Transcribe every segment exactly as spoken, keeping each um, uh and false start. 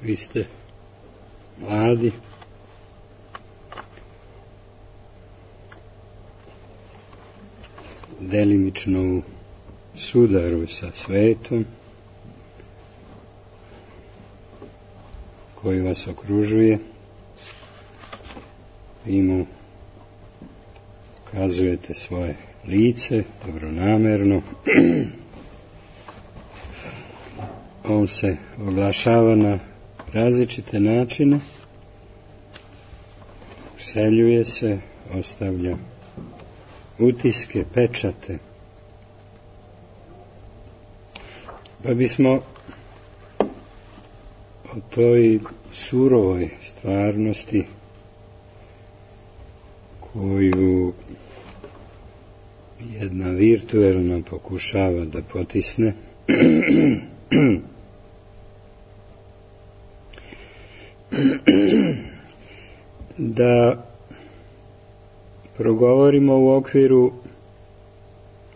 vi ste mladi, delimično u sudaru sa svetom koji vas okružuje, vi mu ukazujete svoje lice dobronamerno, on se oglašava na različite načine, useljuje se, ostavlja utiske, pečate. Pa bismo o toj surovoj stvarnosti koju jedna virtuelna pokušava da potisne da progovorimo u okviru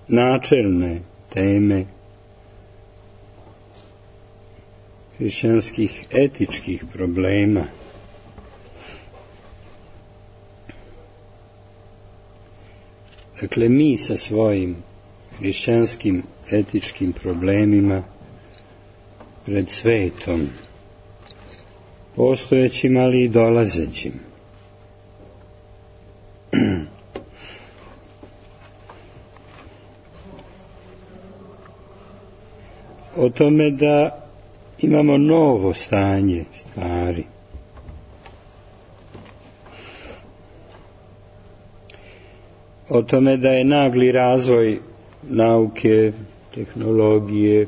načelne teme hrišćanskih etičkih problema. Dakle, mi sa svojim hrišćanskim etičkim problemima pred svetom, postojećim, ali i dolazećim. O tome da imamo novo stanje stvari. O tome da je nagli razvoj nauke, tehnologije,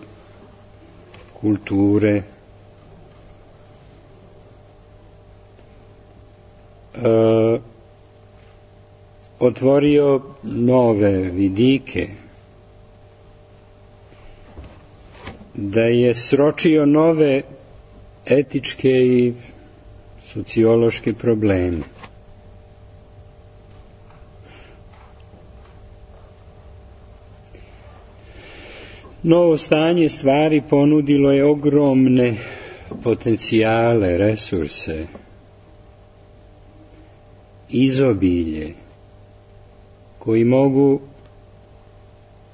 kulture, e, otvorio nove vidike, da je sročio nove etičke i sociološke probleme. Novo stanje stvari ponudilo je ogromne potencijale, resurse, izobilje, koji mogu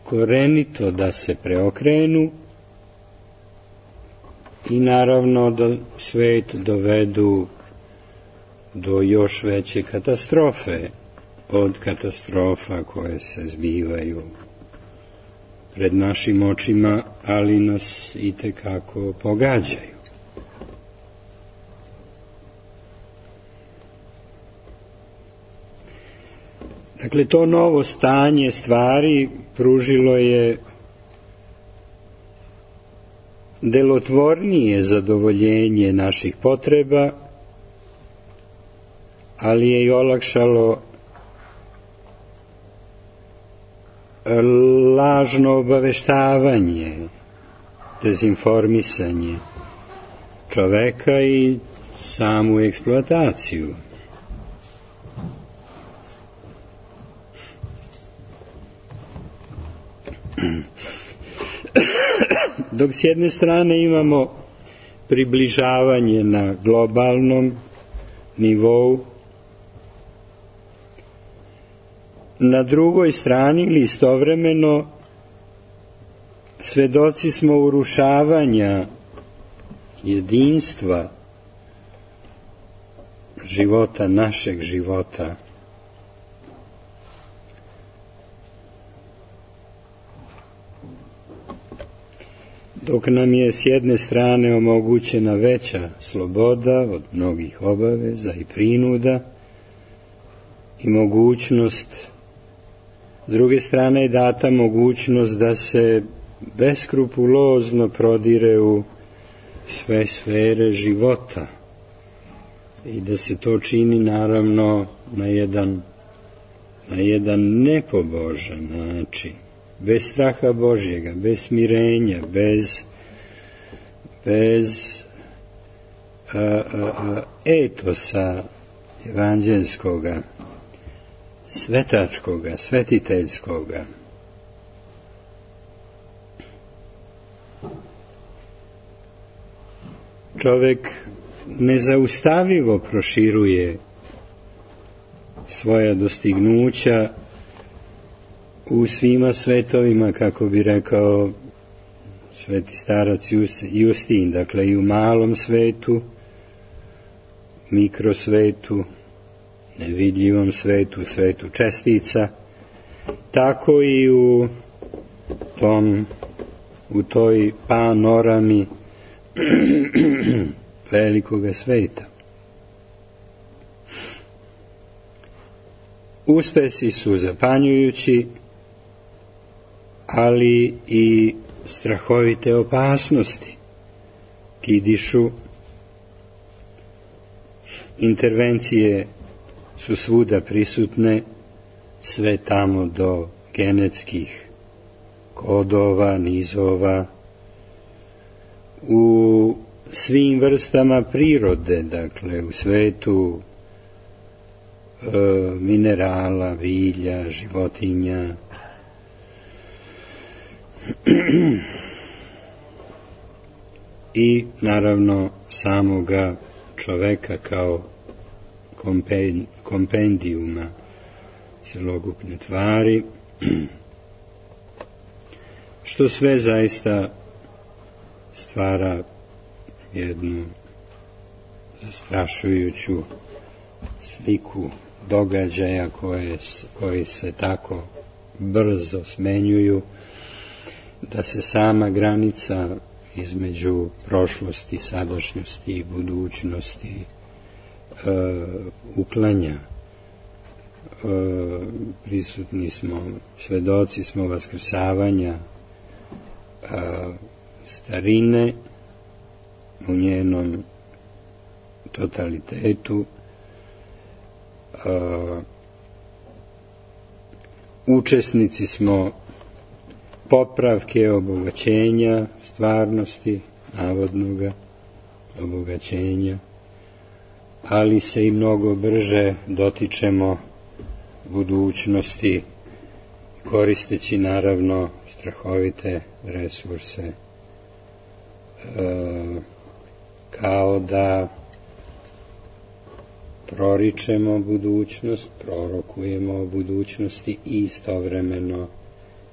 korenito da se preokrenu i naravno da svet dovedu do još veće katastrofe od katastrofa koje se zbivaju pred našim očima, ali nas itekako pogađaju. Dakle, to novo stanje stvari pružilo je delotvornije zadovoljenje naših potreba, ali je i olakšalo lažno obaveštavanje, dezinformisanje čoveka i samu eksploataciju. Dok s jedne strane imamo približavanje na globalnom nivou, na drugoj strani ili istovremeno svedoci smo urušavanja jedinstva života, našeg života. Dok nam je s jedne strane omogućena veća sloboda od mnogih obaveza i prinuda i mogućnost, s druge strane je data mogućnost da se beskrupulozno prodire u sve sfere života i da se to čini naravno na jedan, na jedan nepobožan način, bez straha Božjega, bez smirenja, bez, bez a, a, a, etosa evanđelskoga, svetačkoga, svetiteljskoga. čovek nezaustavljivo proširuje svoja dostignuća u svima svetovima, kako bi rekao sveti starac Justin, dakle i u malom svetu, mikrosvetu, nevidljivom svetu, svetu čestica, tako i u tom, u toj panorami velikoga sveta. Uspesi su zapanjujući, ali i strahovite opasnosti kidišu. Intervencije su svuda prisutne, sve tamo do genetskih kodova, nizova, u svim vrstama prirode, dakle u svetu e, minerala, bilja, životinja, i naravno samoga čoveka kao kompendijuma celokupne tvari, što sve zaista stvara jednu zastrašujuću sliku događaja koje, koji se tako brzo smenjuju, da se sama granica između prošlosti, sadašnjosti i budućnosti e, uklanja. E, prisutni smo, svedoci smo vaskrsavanja e, starine u njenom totalitetu. E, učesnici smo popravke, obogaćenja stvarnosti, navodnoga obogaćenja, ali se i mnogo brže dotičemo budućnosti, koristeći naravno strahovite resurse, e, kao da proričemo budućnost, prorokujemo o budućnosti i istovremeno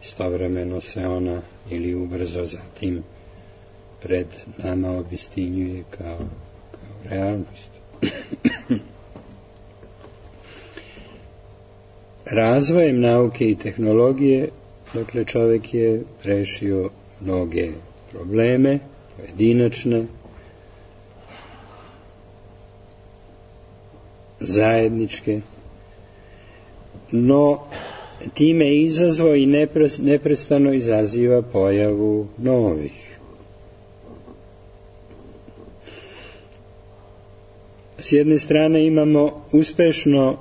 istovremeno se ona ili ubrzo zatim pred nama obistinjuje kao, kao realnost. Razvojem nauke i tehnologije, dakle, čovjek je rešio mnoge probleme, pojedinačne, zajedničke, no time je izazvao i neprestano izaziva pojavu novih. S jedne strane imamo uspešno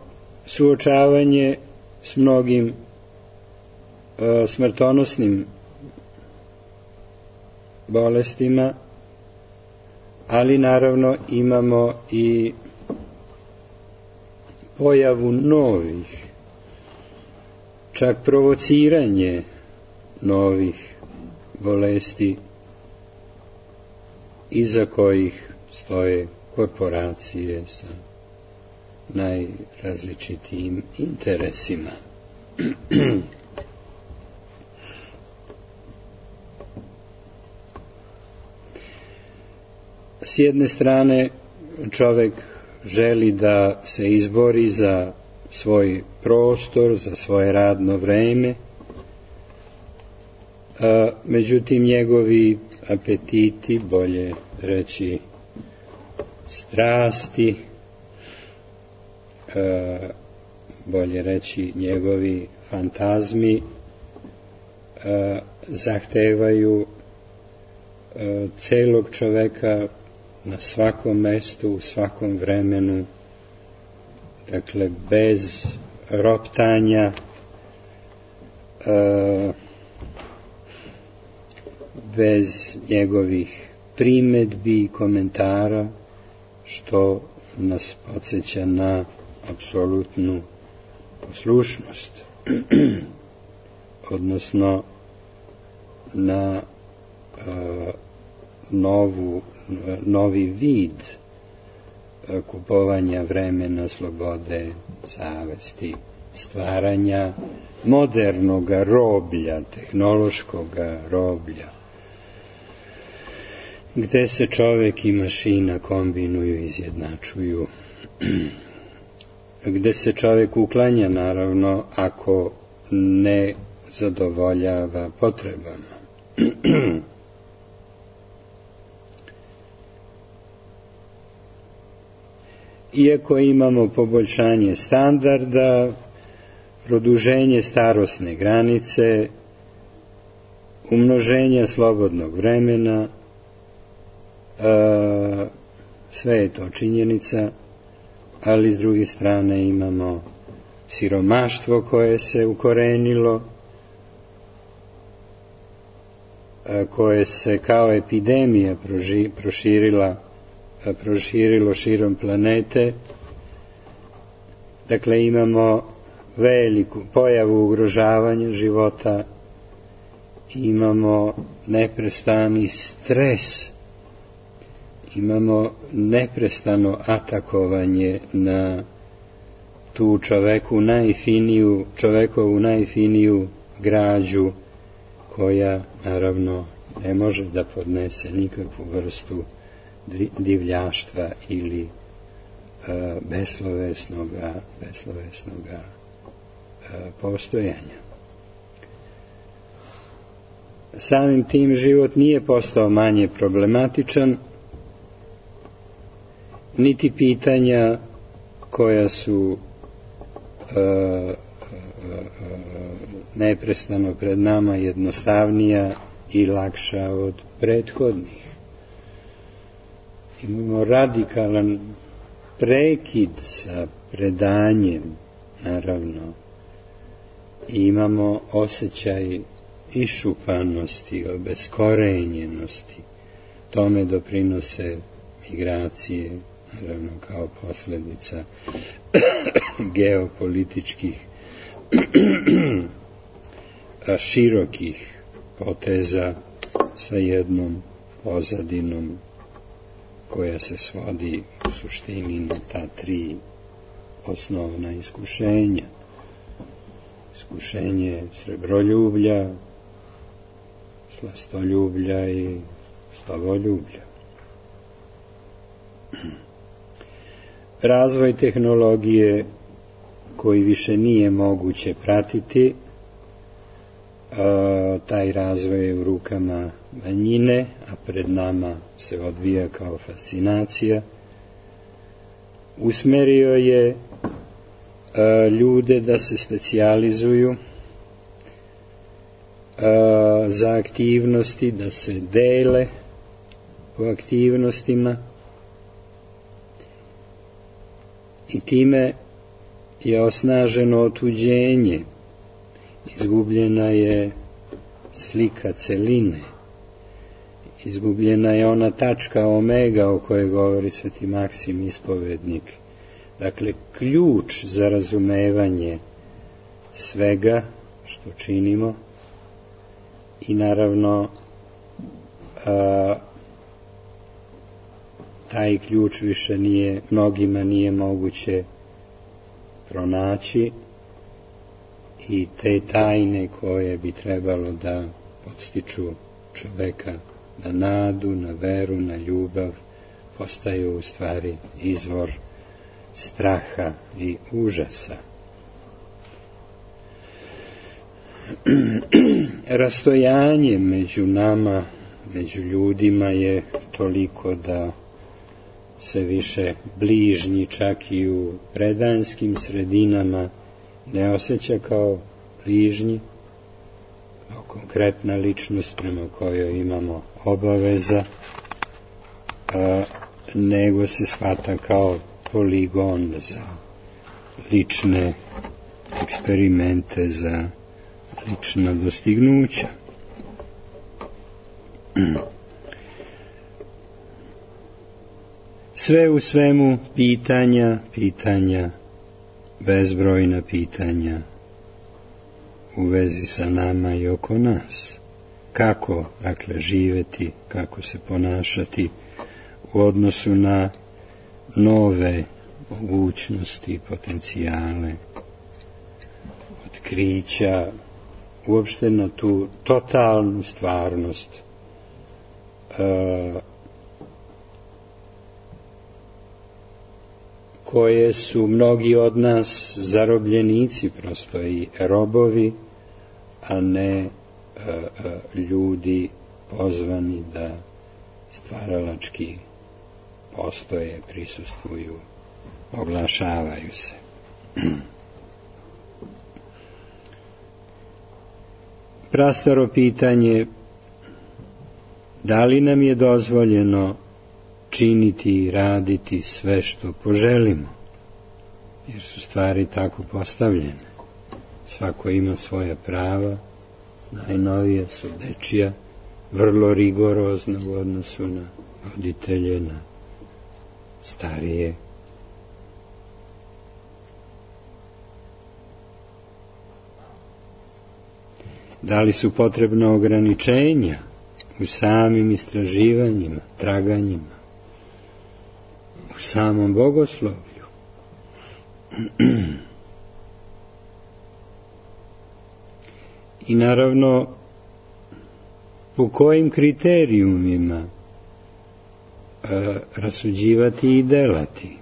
suočavanje s mnogim e, smrtonosnim bolestima, ali naravno imamo i pojavu novih, čak provociranje novih bolesti iza kojih stoje korporacije sa najrazličitijim interesima. S jedne strane čovjek želi da se izbori za svoj prostor, za svoje radno vreme, a, međutim njegovi apetiti, bolje reći strasti, a, bolje reći njegovi fantazmi, a, zahtevaju a, celog čoveka na svakom mestu, u svakom vremenu, dakle bez roptanja, e, bez njegovih primedbi i komentara, što nas podsjeća na apsolutnu poslušnost, odnosno na e, novu novi vid kupovanja vremena, slobode, savesti, stvaranja modernog roblja, tehnološkog roblja, gde se čovek i mašina kombinuju i izjednačuju, gde se čovek uklanja, naravno, ako ne zadovoljava potrebama. Iako imamo poboljšanje standarda, produženje starosne granice, umnoženje slobodnog vremena, e, sve je to činjenica, ali s druge strane imamo siromaštvo koje se ukorenilo, e, koje se kao epidemija proži, proširila proširilo širom planete. Dakle, imamo veliku pojavu ugrožavanja života, imamo neprestani stres, imamo neprestano atakovanje na tu čoveku najfiniju, čovekovu najfiniju građu, koja naravno ne može da podnese nikakvu vrstu divljaštva ili e, beslovesnoga, beslovesnoga e, postojanja. Samim tim život nije postao manje problematičan, niti pitanja koja su e, e, neprestano pred nama jednostavnija i lakša od prethodnih. Imamo radikalan prekid sa predanjem, naravno, i imamo osjećaj išupanosti, obeskorenjenosti. Tome doprinose migracije, naravno kao posljedica geopolitičkih širokih poteza sa jednom pozadinom koja se svodi u suštini na ta tri osnovna iskušenja. Iskušenje srebroljublja, slastoljublja i slavoljublja. Razvoj tehnologije koji više nije moguće pratiti, a, taj razvoj je u rukama manjine, a pred nama se odvija kao fascinacija, usmerio je a, ljude da se specijalizuju a, za aktivnosti, da se dele po aktivnostima, i time je osnaženo otuđenje, izgubljena je slika celine, izgubljena je ona tačka omega o kojoj govori Sveti Maksim ispovednik. Dakle, ključ za razumevanje svega što činimo, i naravno a, taj ključ više nije, mnogima nije moguće pronaći, i te tajne koje bi trebalo da podstiču čoveka na nadu, na veru, na ljubav, postaju u stvari izvor straha i užasa. Rastojanje među nama, među ljudima je toliko da se više bližnji čak i u predanskim sredinama ne osjeća kao bližnji, kao konkretna ličnost prema kojoj imamo obaveza, a, nego se shvata kao poligon za lične eksperimente, za lična dostignuća. Sve u svemu pitanja, pitanja, bezbrojna pitanja u vezi sa nama i oko nas. Kako, dakle, živeti, kako se ponašati, u odnosu na nove mogućnosti, potencijale, otkrića, uopšte na tu totalnu stvarnost e, koje su mnogi od nas zarobljenici, prosto i robovi, a ne e, e, ljudi pozvani da stvaralački postoje, prisustvuju, oglašavaju se. Prastaro pitanje, da li nam je dozvoljeno činiti i raditi sve što poželimo, jer su stvari tako postavljene. Svako ima svoja prava, najnovija su dečija, vrlo rigorozna u odnosu na roditelje, na starije. Da li su potrebna ograničenja u samim istraživanjima, traganjima, u samom bogoslovlju? I naravno, po kojim kriterijumima e, rasuđivati i delati?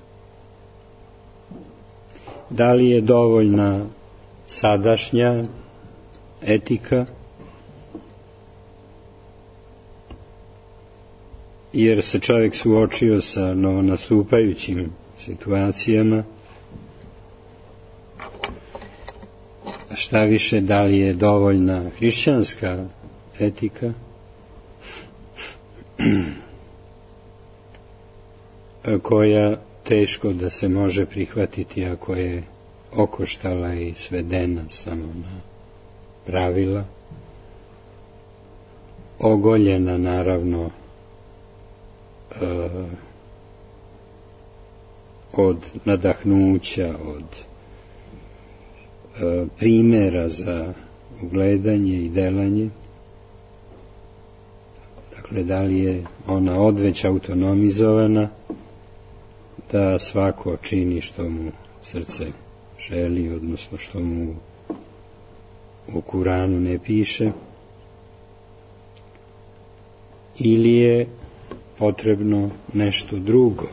Da li je dovoljna sadašnja etika, jer se čovjek suočio sa novonastupajućim situacijama, a šta više, da li je dovoljna hrišćanska etika, koja teško da se može prihvatiti ako je okoštala i svedena samo na pravila, ogoljena naravno e, od nadahnuća, od e, primjera za ugledanje i delanje. Dakle, da li je ona odveć autonomizovana, da svako čini što mu srce želi, odnosno što mu u Kuranu ne piše, ili je potrebno nešto drugo,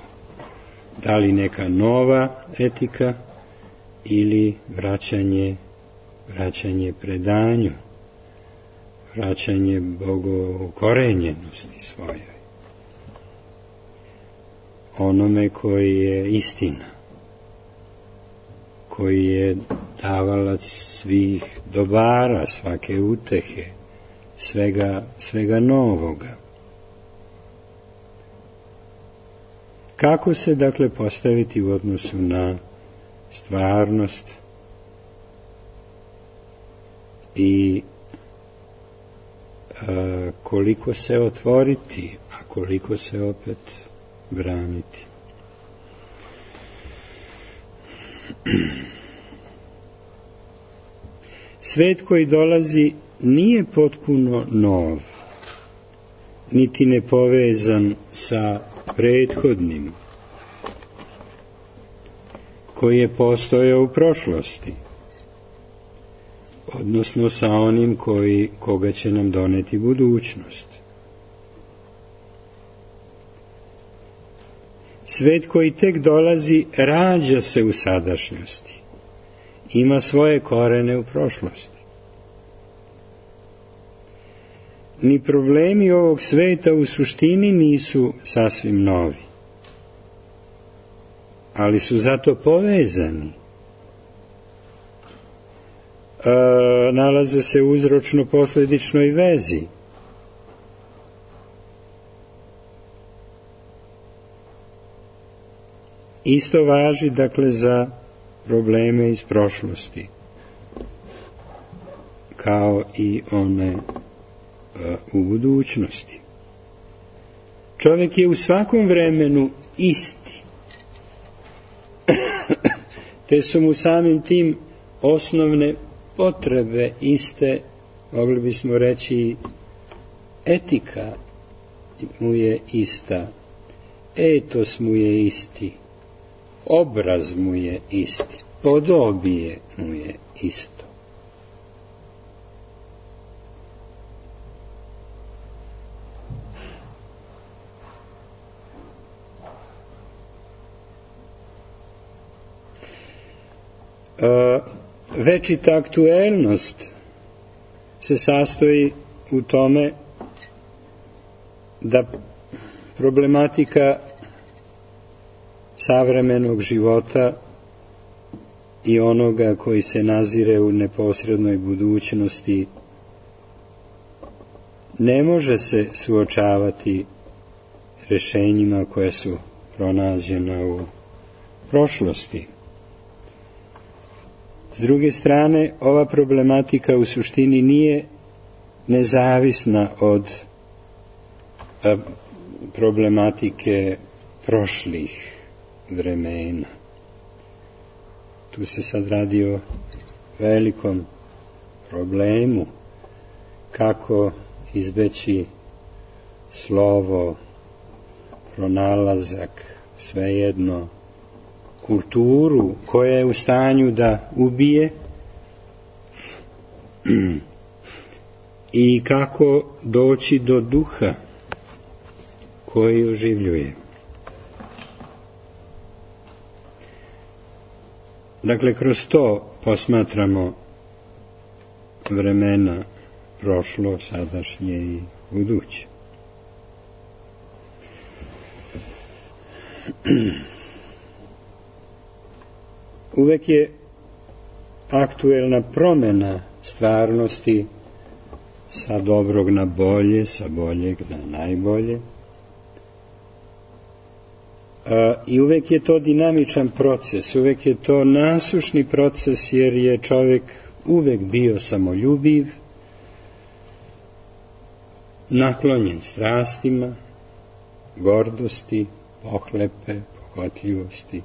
da li neka nova etika ili vraćanje vraćanje predanju, vraćanje bogokorenjenosti svojoj, onome koji je istina, koji je davalac svih dobara, svake utehe, svega, svega novoga. Kako se, dakle, postaviti u odnosu na stvarnost i a, koliko se otvoriti, a koliko se opet braniti? Svet koji dolazi nije potpuno nov, niti nepovezan sa prethodnim, koji je postojao u prošlosti, odnosno sa onim koji, koga će nam doneti budućnost. Svet koji tek dolazi rađa se u sadašnjosti, ima svoje korene u prošlosti. Ni problemi ovog sveta u suštini nisu sasvim novi, ali su zato povezani. E, nalaze se u uzročno-posledičnoj vezi. Isto važi, dakle, za probleme iz prošlosti, kao i one e, u budućnosti. Čovjek je u svakom vremenu isti, te su mu samim tim osnovne potrebe iste, mogli bismo reći etika mu je ista, etos mu je isti, obraz mu je isti, podobije mu je isto. Večita aktuelnost se sastoji u tome da problematika savremenog života i onoga koji se nazire u neposrednoj budućnosti ne može se suočavati rješenjima koja su pronađena u prošlosti. S druge strane, ova problematika u suštini nije nezavisna od a, problematike prošlih vremena. Tu se sad radi o velikom problemu kako izbeći slovo, pronalazak, svejedno, kulturu koja je u stanju da ubije i kako doći do duha koji oživljuje. Dakle, kroz to posmatramo vremena prošlo, sadašnje i buduće. Uvek je aktuelna promjena stvarnosti sa dobrog na bolje, sa boljeg na najbolje. A, i uvek je to dinamičan proces, uvek je to nasušni proces, jer je čovjek uvek bio samoljubiv, naklonjen strastima, gordosti, pohlepe, pohotljivosti.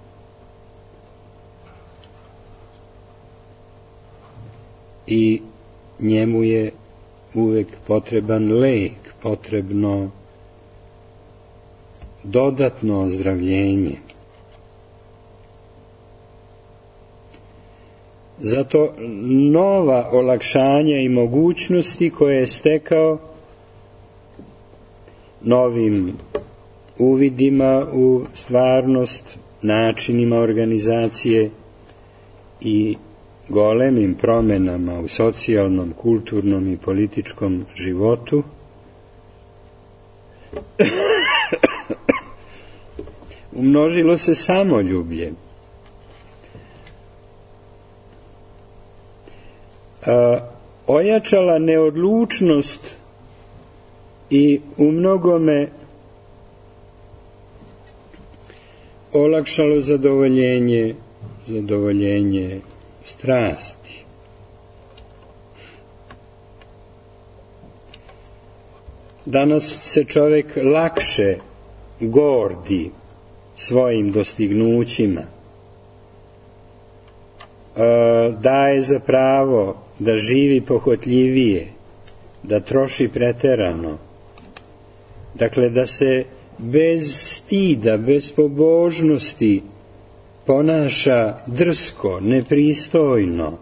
I njemu je uvek potreban lek, potrebno dodatno ozdravljenje. Zato nova olakšanja i mogućnosti koje je stekao novim uvidima u stvarnost, načinima organizacije i golemim promjenama u socijalnom, kulturnom i političkom životu umnožilo se samoljublje. A, ojačala neodlučnost i u mnogome olakšalo zadovoljenje, zadovoljenje strasti. Danas se čovjek lakše gordi svojim dostignućima, daje za pravo da živi pohotljivije, da troši preterano, dakle da se bez stida, bez pobožnosti ponaša drsko, nepristojno,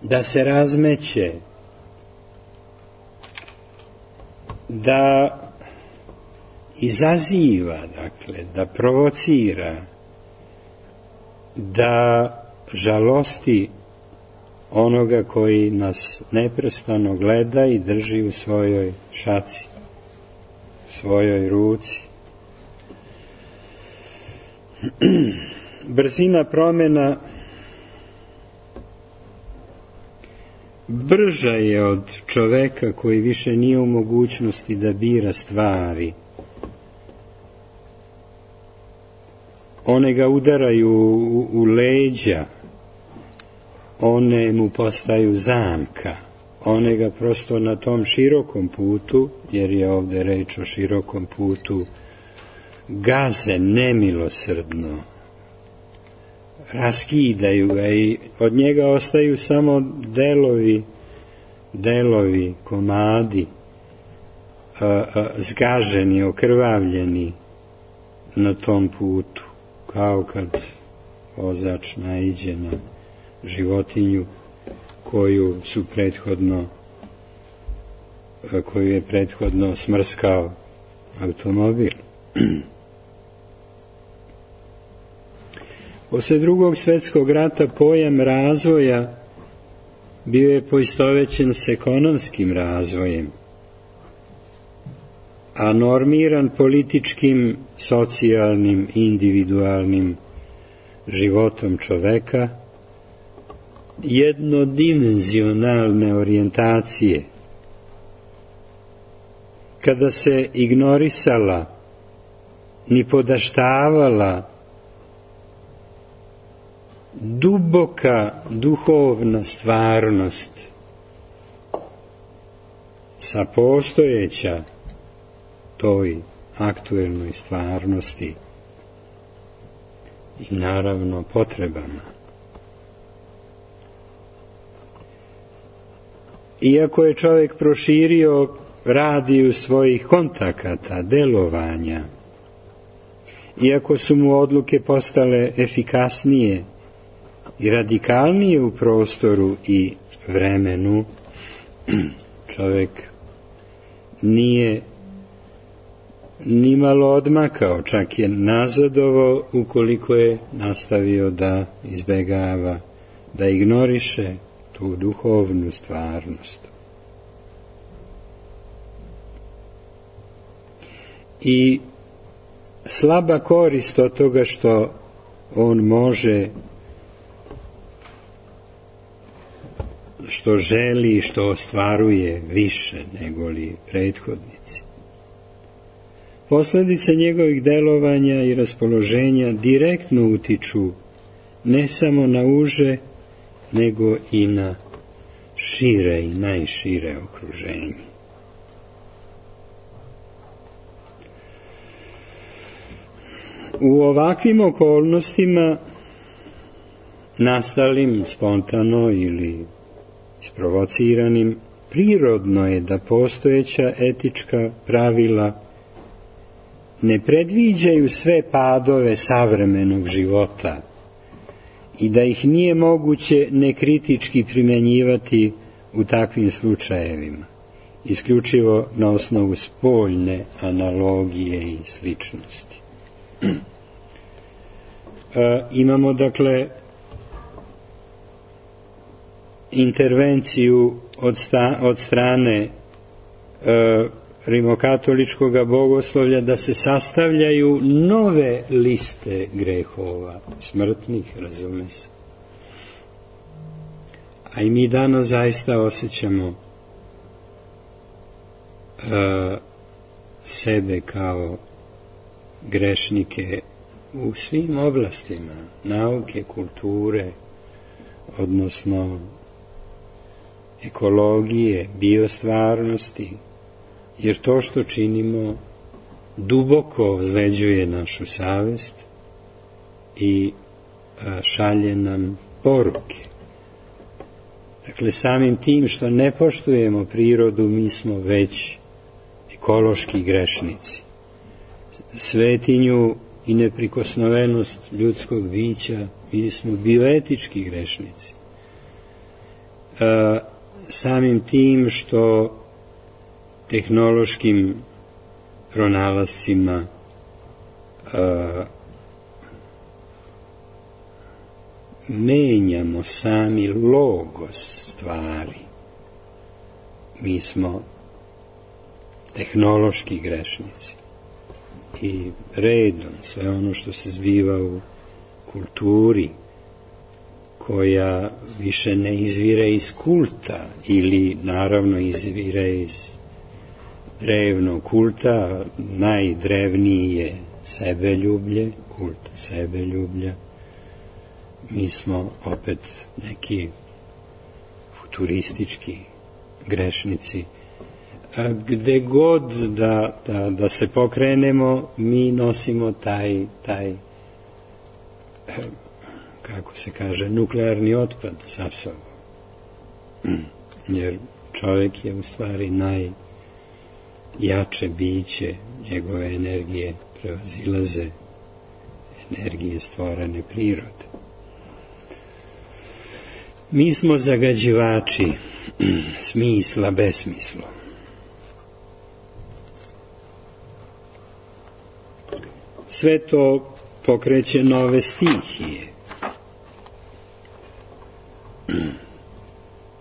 da se razmeće, da izaziva, dakle, da provocira, da žalosti onoga koji nas neprestano gleda i drži u svojoj šaci, u svojoj ruci. Brzina promjena brža je od čoveka koji više nije u mogućnosti da bira stvari. One ga udaraju u, u leđa, one mu postaju zamka, one ga prosto na tom širokom putu, jer je ovdje reč o širokom putu, gaze nemilosrdno, raskidaju ga i od njega ostaju samo delovi, delovi, komadi, a, a, zgaženi, okrvavljeni, na tom putu, kao kad vozač naiđe na životinju koju su prethodno koju je prethodno smrskao automobil. Posle Drugog svjetskog rata pojam razvoja bio je poistovećen s ekonomskim razvojem, a normiran političkim, socijalnim, individualnim životom čoveka, jednodimenzionalne orijentacije, kada se ignorisala, ni podaštavala duboka duhovna stvarnost sa postojeća toj aktuelnoj stvarnosti i naravno potrebama. Iako je čovjek proširio radiju svojih kontakata, delovanja, iako su mu odluke postale efikasnije i radikalnije u prostoru i vremenu, čovjek nije nimalo odmakao, čak je nazadovao ukoliko je nastavio da izbegava, da ignoriše tu duhovnu stvarnost. I slaba korist od toga što on može, što želi, što ostvaruje više nego li prethodnici. Posljedice njegovih delovanja i raspoloženja direktno utiču ne samo na uže, nego i na šire i najšire okruženje. U ovakvim okolnostima, nastalim spontano ili isprovociranim, prirodno je da postojeća etička pravila ne predviđaju sve padove savremenog života i da ih nije moguće nekritički primjenjivati u takvim slučajevima, isključivo na osnovu spoljne analogije i sličnosti. E, imamo dakle intervenciju od, sta, od strane e, rimokatoličkog bogoslovlja da se sastavljaju nove liste grehova, smrtnih, razume se. A i mi danas zaista osjećamo e, sebe kao grešnike u svim oblastima nauke, kulture, odnosno ekologije, biostvarnosti, jer to što činimo duboko ozleđuje našu savest i šalje nam poruke. Dakle, samim tim što ne poštujemo prirodu, mi smo već ekološki grešnici. Svetinju i neprikosnovenost ljudskog bića, mi smo bioetički grešnici. E, samim tim što tehnološkim pronalascima e, menjamo sami logos stvari, mi smo tehnološki grešnici. I redom sve ono što se zbiva u kulturi, koja više ne izvire iz kulta ili naravno izvire iz drevnog kulta, najdrevniji je sebeljublje, kult sebeljublja. Mi smo opet neki futuristički grešnici. A gde god da, da, da se pokrenemo, mi nosimo taj, taj, kako se kaže, nuklearni otpad sa sobom. Jer čovjek je u stvari najjače biće, njegove energije prevazilaze energije stvorene prirode. Mi smo zagađivači smisla besmislom. Sve to pokreće nove stihije.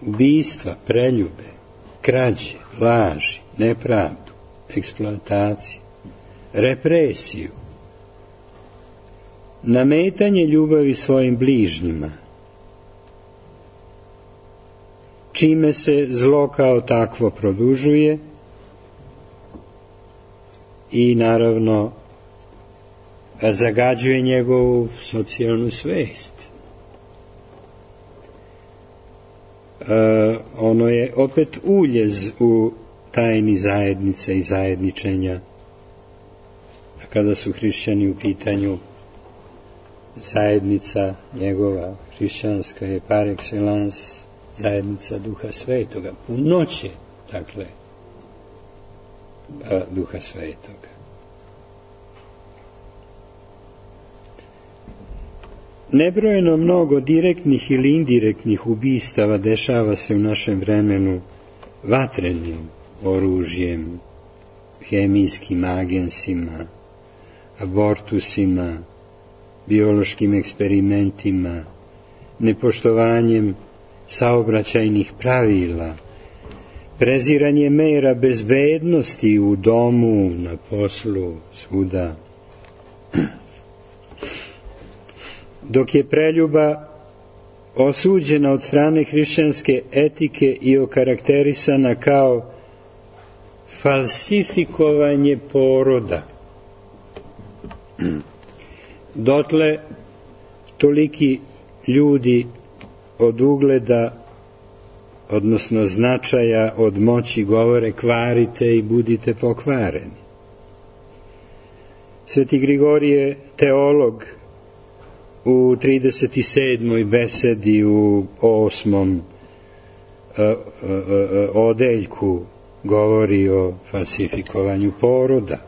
Ubistva, preljube, krađe, laži, nepravdu, eksploataciju, represiju, nametanje ljubavi svojim bližnjima, čime se zlo kao takvo produžuje i naravno zagađuje njegovu socijalnu svest. E, ono je opet uljez u tajni zajednice i zajedničenja. A kada su hrišćani u pitanju, zajednica njegova hrišćanska je par excellence zajednica Duha Svetoga, punoće, dakle, Duha Svetoga. Nebrojeno mnogo direktnih ili indirektnih ubistava dešava se u našem vremenu vatrenim oružjem, hemijskim agensima, abortusima, biološkim eksperimentima, nepoštovanjem saobraćajnih pravila, preziranje mera bezbednosti u domu, na poslu, svuda. Dok je preljuba osuđena od strane hrišćanske etike i okarakterisana kao falsifikovanje poroda, dotle toliki ljudi od ugleda, odnosno značaja, od moći govore kvarite i budite pokvareni. Sveti Grigorije, teolog, u trideset sedmoj besedi u osmom odeljku govori o falsifikovanju poroda.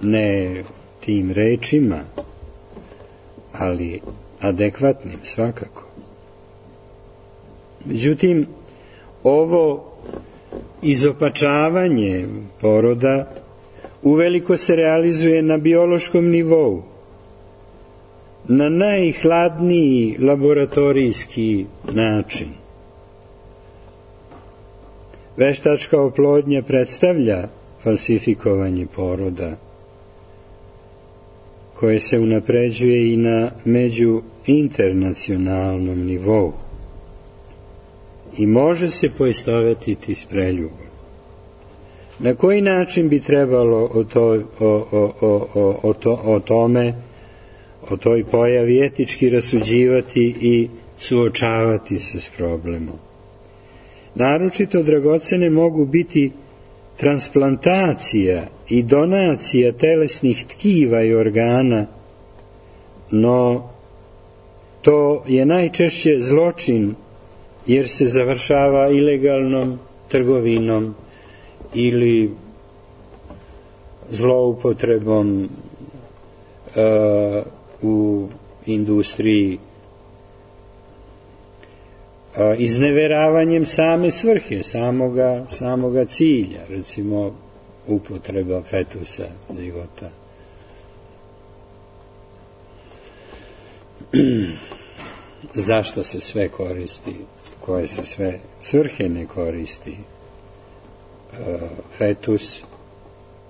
Ne tim rečima, ali adekvatnim svakako. Međutim, ovo izopačavanje poroda uveliko se realizuje na biološkom nivou, na najhladniji laboratorijski način. Veštačka oplodnja predstavlja falsifikovanje poroda, koje se unapređuje i na međuinternacionalnom nivou i može se poistovetiti s preljubom. Na koji način bi trebalo o, to, o, o, o, o, to, o tome, o toj pojavi etički rasuđivati i suočavati se s problemom? Naročito dragocene mogu biti transplantacija i donacija telesnih tkiva i organa, no to je najčešće zločin, jer se završava ilegalnom trgovinom ili zloupotrebom uh, u industriji, uh, izneveravanjem same svrhe, samoga, samoga cilja, recimo upotreba fetusa, zigota. Zašto se sve koristi, koje se sve svrhe ne koristi fetus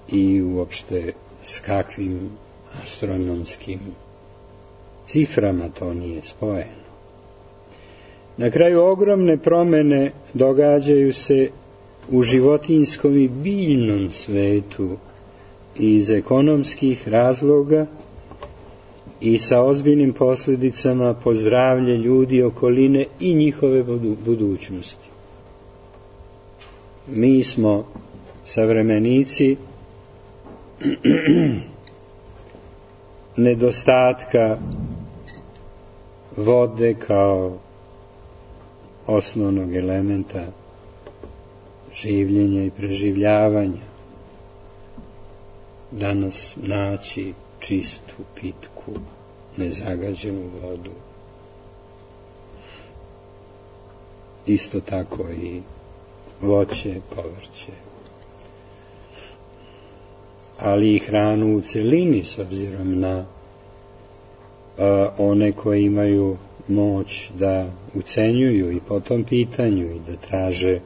i uopšte s kakvim astronomskim ciframa to nije spojeno. Na kraju ogromne promene događaju se u životinjskom i biljnom svetu iz ekonomskih razloga i sa ozbiljnim posljedicama po zdravlje ljudi, okoline i njihove budućnosti. Mi smo savremenici nedostatka vode kao osnovnog elementa življenja i preživljavanja. Danas naći čistu, pitku nezagađenu vodu. Isto tako i voće, povrće. Ali i hranu u celini, s obzirom na a, one koji imaju moć da ucenjuju i po tom pitanju i da traže,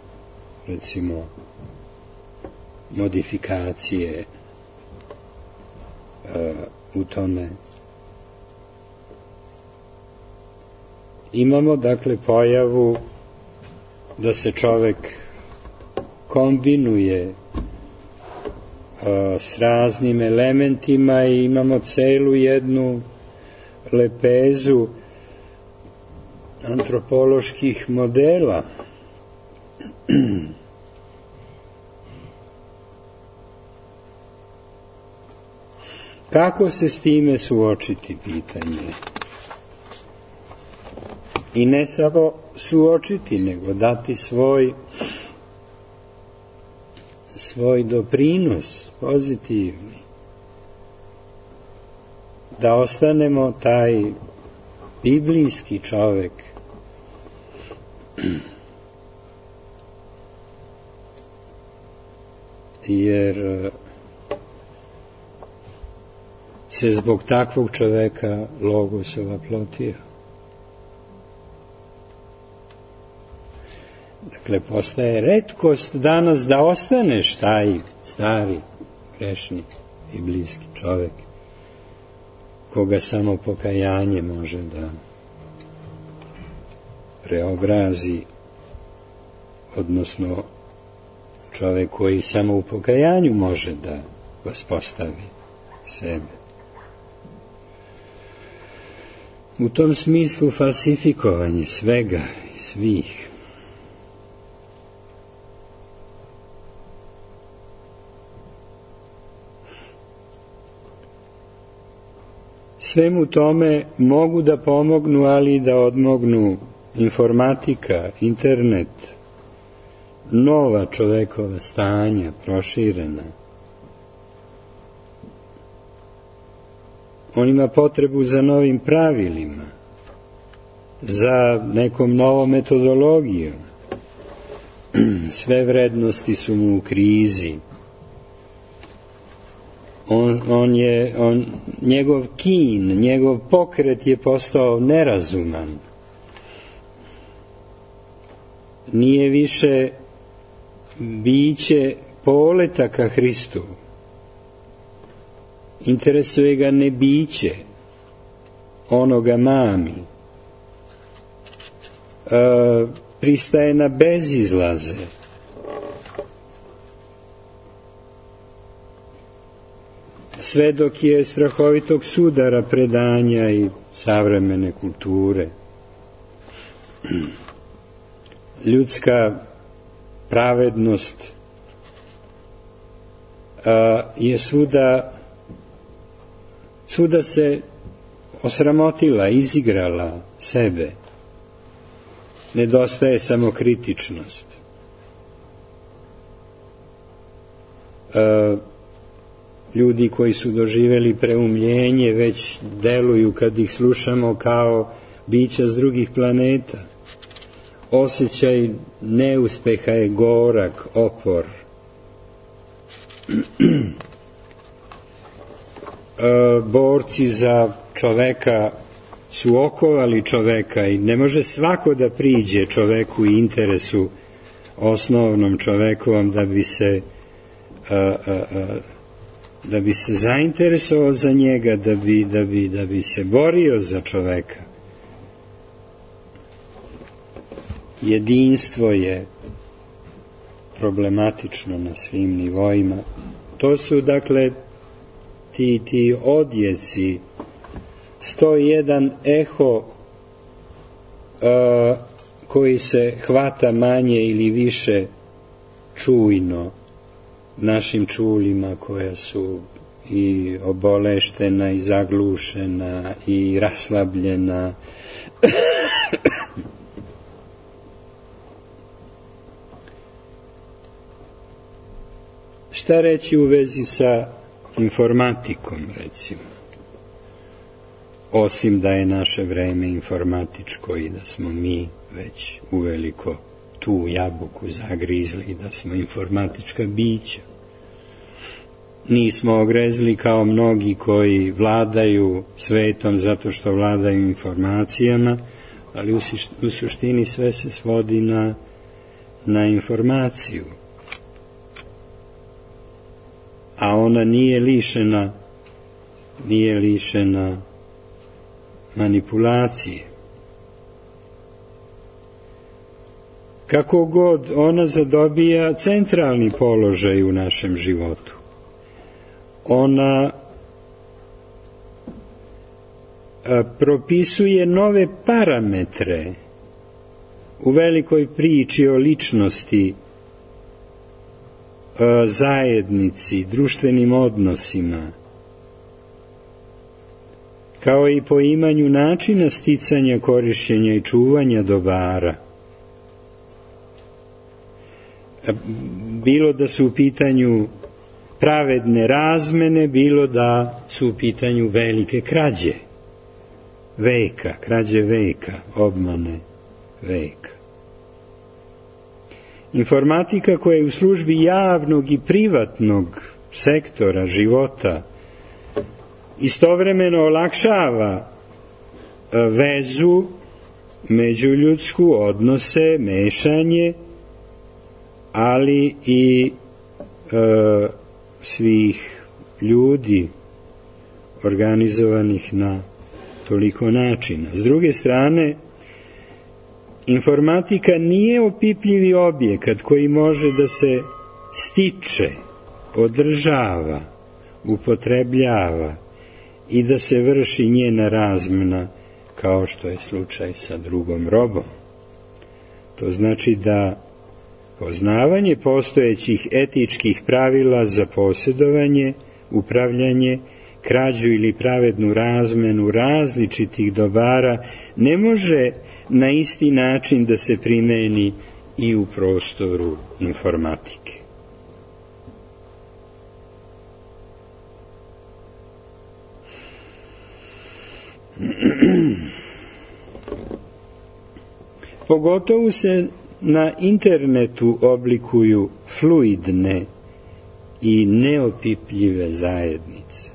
recimo, modifikacije a, u tome. Imamo, dakle, pojavu da se čovek kombinuje a, s raznim elementima i imamo celu jednu lepezu antropoloških modela. Kako se s time suočiti, pitanje? I ne samo suočiti, nego dati svoj svoj doprinos pozitivni. Da ostanemo taj biblijski čovek. Jer se zbog takvog čoveka Logos ovaplotio. Dakle, postaje retkost danas da ostaneš taj stari, grešni i bliski čovek, koga samo pokajanje može da preobrazi, odnosno čovek koji samo u pokajanju može da vaspostavi sebe. U tom smislu falsifikovanje svega i svih svemu tome mogu da pomognu, ali i da odmognu informatika, internet, nova čovekova stanja, proširena. On ima potrebu za novim pravilima, za nekom novom metodologijom. Sve vrednosti su mu u krizi. On, on je, on, njegov kin, njegov pokret je postao nerazuman. Nije više biće poleta ka Hristu. Interesuje ga ne biće, ono ga mami. E, pristaje na bezizlaze. Sve dok je strahovitog sudara predanja i savremene kulture. Ljudska pravednost a, je svuda svuda se osramotila, izigrala sebe. Nedostaje samokritičnost. A, ljudi koji su doživeli preumljenje već deluju, kad ih slušamo, kao bića s drugih planeta. Osjećaj neuspeha je gorak, opor. Borci za čoveka su okovali čoveka i ne može svako da priđe čoveku i interesu osnovnom čovekovom da bi se a, a, a, da bi se zainteresovao za njega, da bi, da bi, da bi se borio za čoveka. Jedinstvo je problematično na svim nivoima. To su, dakle, ti, ti odjeci, sto jedan eho a, koji se hvata manje ili više čujno našim čulima, koja su i oboleštena i zaglušena i raslabljena. Šta reći u vezi sa informatikom, recimo? osim da je naše vreme informatičko i da smo mi već uveliko tu jabuku zagrizli i da smo informatička bića. Nismo ogrezli kao mnogi koji vladaju svetom zato što vladaju informacijama, ali u suštini sve se svodi na, na informaciju. A ona nije lišena, nije lišena manipulacije. Kako god ona zadobija centralni položaj u našem životu, ona a, propisuje nove parametre u velikoj priči o ličnosti, a, zajednici, društvenim odnosima, kao i poimanju načina sticanja, korišćenja i čuvanja dobara. Bilo da su u pitanju pravedne razmene, bilo da su u pitanju velike krađe veka, krađe veka, obmane veka. Informatika koja je u službi javnog i privatnog sektora života istovremeno olakšava vezu međuljudsku, odnose, mešanje, ali i e, svih ljudi organizovanih na toliko načina. S druge strane, informatika nije opipljivi objekat koji može da se stiče, održava, upotrebljava i da se vrši njena razmena kao što je slučaj sa drugom robom. To znači da poznavanje postojećih etičkih pravila za posjedovanje, upravljanje, krađu ili pravednu razmenu različitih dobara ne može na isti način da se primeni i u prostoru informatike. Pogotovo se na internetu oblikuju fluidne i neopipljive zajednice,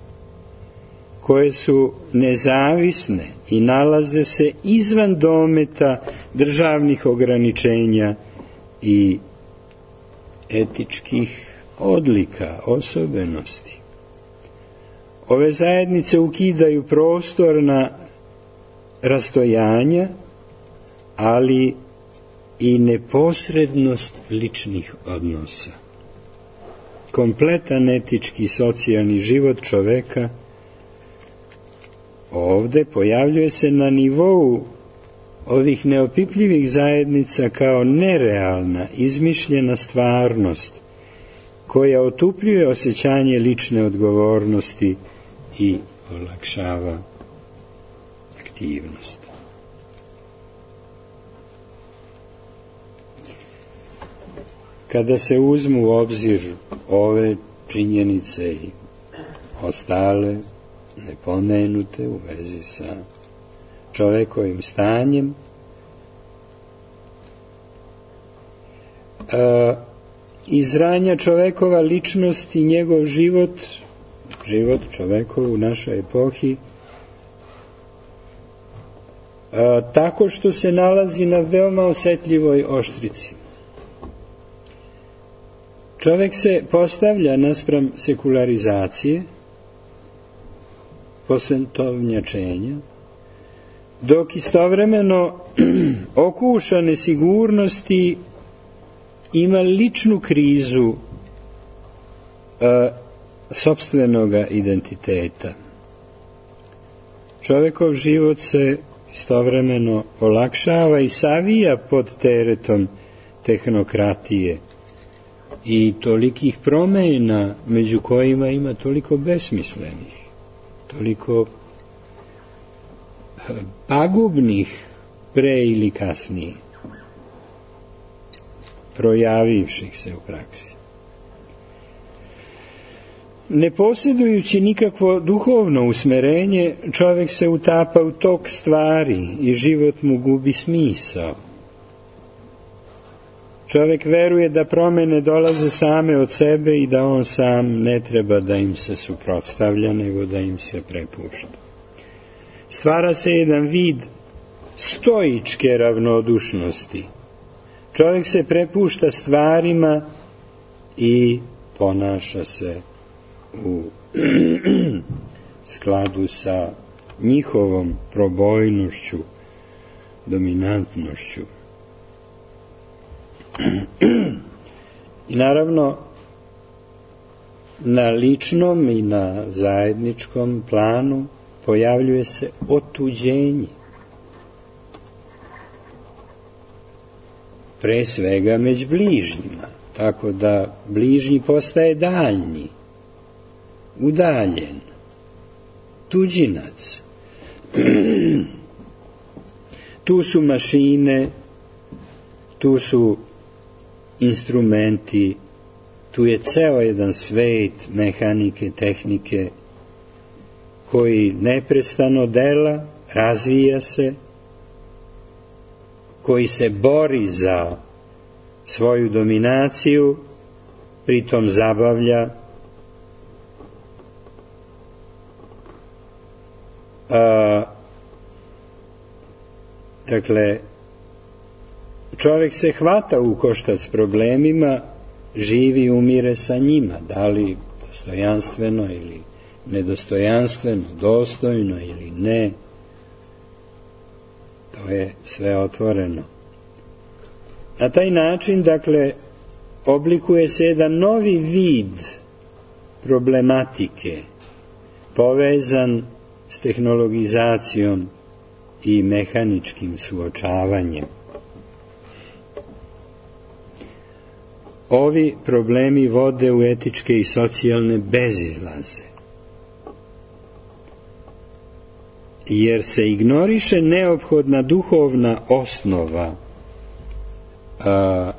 koje su nezavisne i nalaze se izvan dometa državnih ograničenja i etičkih odlika, osobenosti. Ove zajednice ukidaju prostorna rastojanja, ali i neposrednost ličnih odnosa. Kompletan etički i socijalni život čoveka ovde pojavljuje se na nivou ovih neopipljivih zajednica kao nerealna, izmišljena stvarnost koja otupljuje osjećanje lične odgovornosti i olakšava aktivnost. Kada se uzmu u obzir ove činjenice i ostale nepomenute u vezi sa čovekovim stanjem, a, izranja čovekova ličnost i njegov život, život čovekov u našoj epohi, a, tako što se nalazi na veoma osetljivoj oštrici. Čovek se postavlja naspram sekularizacije, posvetovnjačenja, dok istovremeno okuša nesigurnosti ima ličnu krizu a, sopstvenoga identiteta. Čovekov život se istovremeno olakšava i savija pod teretom tehnokratije i tolikih promjena, među kojima ima toliko besmislenih, toliko pagubnih pre ili kasnije, projavivših se u praksi. Ne posjedujući nikakvo duhovno usmerenje, čovjek se utapa u tok stvari i život mu gubi smisao. Čovjek veruje da promjene dolaze same od sebe i da on sam ne treba da im se suprotstavlja, nego da im se prepušta. Stvara se jedan vid stoičke ravnodušnosti. Čovjek se prepušta stvarima i ponaša se u skladu sa njihovom probojnošću, dominantnošću. I naravno, na ličnom i na zajedničkom planu pojavljuje se otuđenje. Pre svega među bližnjima, tako da bližnji postaje daljnji, udaljen, tuđinac. Tu su mašine, tu su instrumenti, tu je ceo jedan svet mehanike, tehnike, koji neprestano dela, razvija se, koji se bori za svoju dominaciju, pritom zabavlja. A, dakle, čovjek se hvata u koštac s problemima, živi i umire sa njima, da li dostojanstveno ili nedostojanstveno, dostojno ili ne, to je sve otvoreno. Na taj način, dakle, oblikuje se jedan novi vid problematike, povezan s tehnologizacijom i mehaničkim suočavanjem. Ovi problemi vode u etičke i socijalne bezizlaze, jer se ignoriše neophodna duhovna osnova a,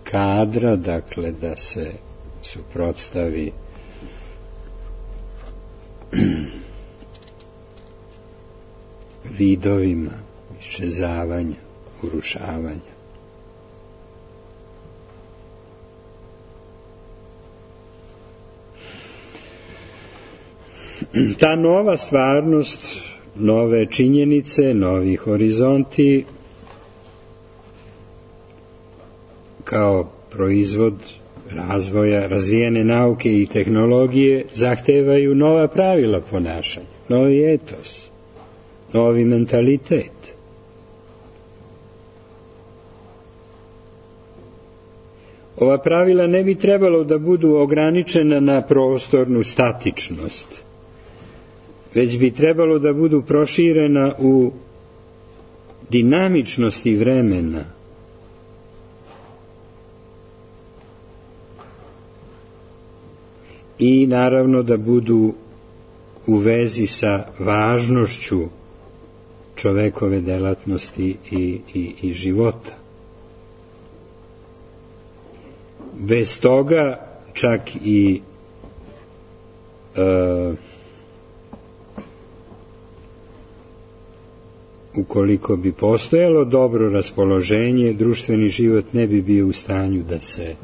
kadra, dakle, da se suprotstavi vidovima iščezavanja, urušavanja. Ta nova stvarnost, nove činjenice, novi horizonti kao proizvod razvoja razvijene nauke i tehnologije zahtevaju nova pravila ponašanja, novi etos, novi mentalitet. Ova pravila ne bi trebalo da budu ograničena na prostornu statičnost, već bi trebalo da budu proširena u dinamičnosti vremena. I naravno da budu u vezi sa važnošću čovekove delatnosti i, i, i života. Bez toga čak i e, ukoliko bi postojalo dobro raspoloženje, društveni život ne bi bio u stanju da se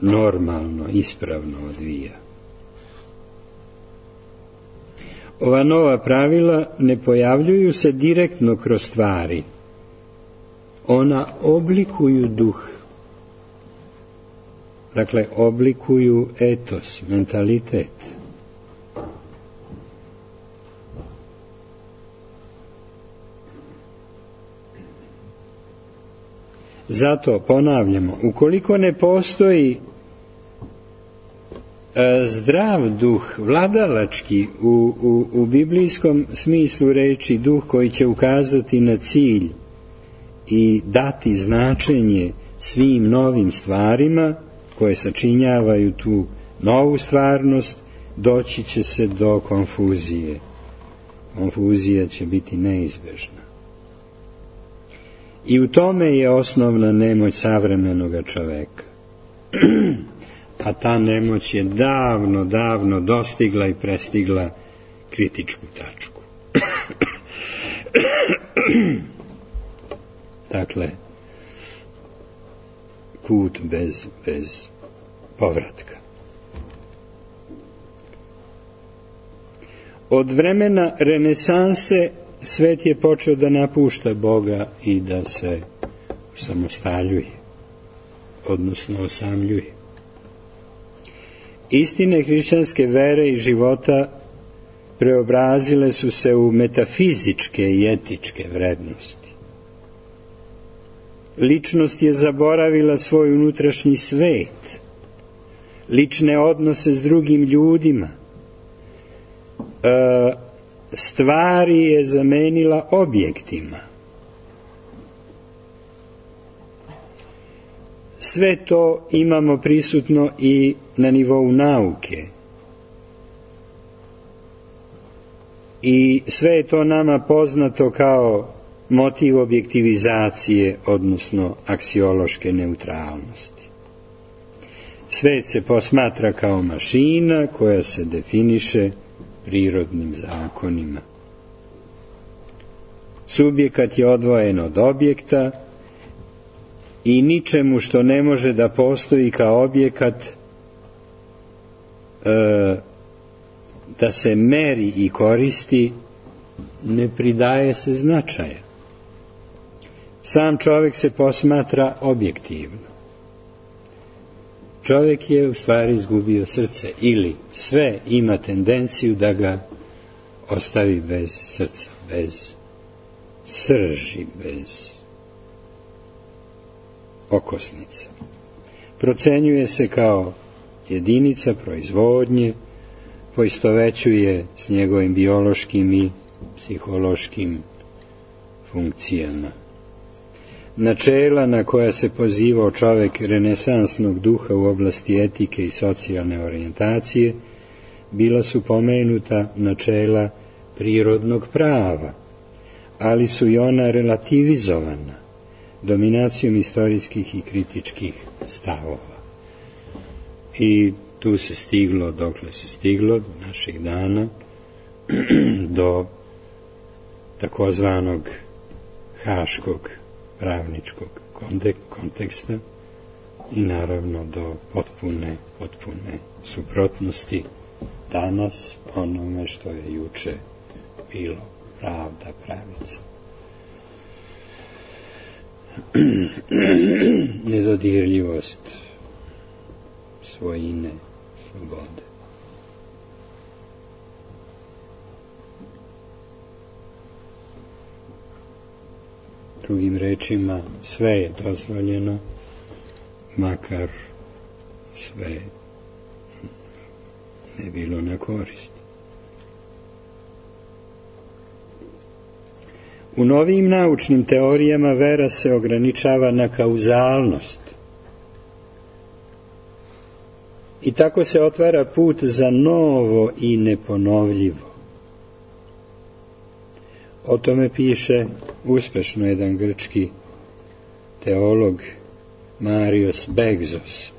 normalno, ispravno odvija. Ova nova pravila ne pojavljuju se direktno kroz stvari. Ona oblikuju duh. Dakle, oblikuju etos, mentalitet. Zato ponavljamo, ukoliko ne postoji e, zdrav duh, vladalački u, u, u biblijskom smislu reči, duh koji će ukazati na cilj i dati značenje svim novim stvarima koje sačinjavaju tu novu stvarnost, doći će se do konfuzije. Konfuzija će biti neizbežna. I u tome je osnovna nemoć savremenoga čoveka. a ta nemoć je davno, davno dostigla i prestigla kritičku tačku. Dakle, put bez, bez povratka. Od vremena renesanse svet je počeo da napušta Boga i da se samostaljuje, odnosno osamljuje. Istine hrišćanske vere i života preobrazile su se u metafizičke i etičke vrednosti. Ličnost je zaboravila svoj unutrašnji svet, lične odnose s drugim ljudima, e, stvari je zamenila objektima. Sve to imamo prisutno i na nivou nauke. I sve je to nama poznato kao motiv objektivizacije, odnosno aksiološke neutralnosti. Svet se posmatra kao mašina koja se definiše prirodnim zakonima. Subjekat je odvojen od objekta i ničemu što ne može da postoji kao objekat e, da se meri i koristi, ne pridaje se značaja. Sam čovjek se posmatra objektivno. Čovjek je u stvari izgubio srce, ili sve ima tendenciju da ga ostavi bez srca, bez srži, bez okosnica. Procenjuje se kao jedinica proizvodnje, poistovećuje s njegovim biološkim i psihološkim funkcijama. Načela na koja se pozivao čovjek renesansnog duha u oblasti etike i socijalne orijentacije bila su pomenuta načela prirodnog prava, ali su i ona relativizovana dominacijom istorijskih i kritičkih stavova. I tu se stiglo, dokle se stiglo, do naših dana, do takozvanog haškog pravničkog konteksta i naravno do potpune, potpune suprotnosti danas onome što je juče bilo pravda, pravica. Nedodirljivost svojine, slobode. Drugim rečima, sve je dozvoljeno, makar sve ne bilo na korist. U novim naučnim teorijama vera se ograničava na kauzalnost. I tako se otvara put za novo i neponovljivo. O tome piše uspešno jedan grčki teolog Marios Begzos.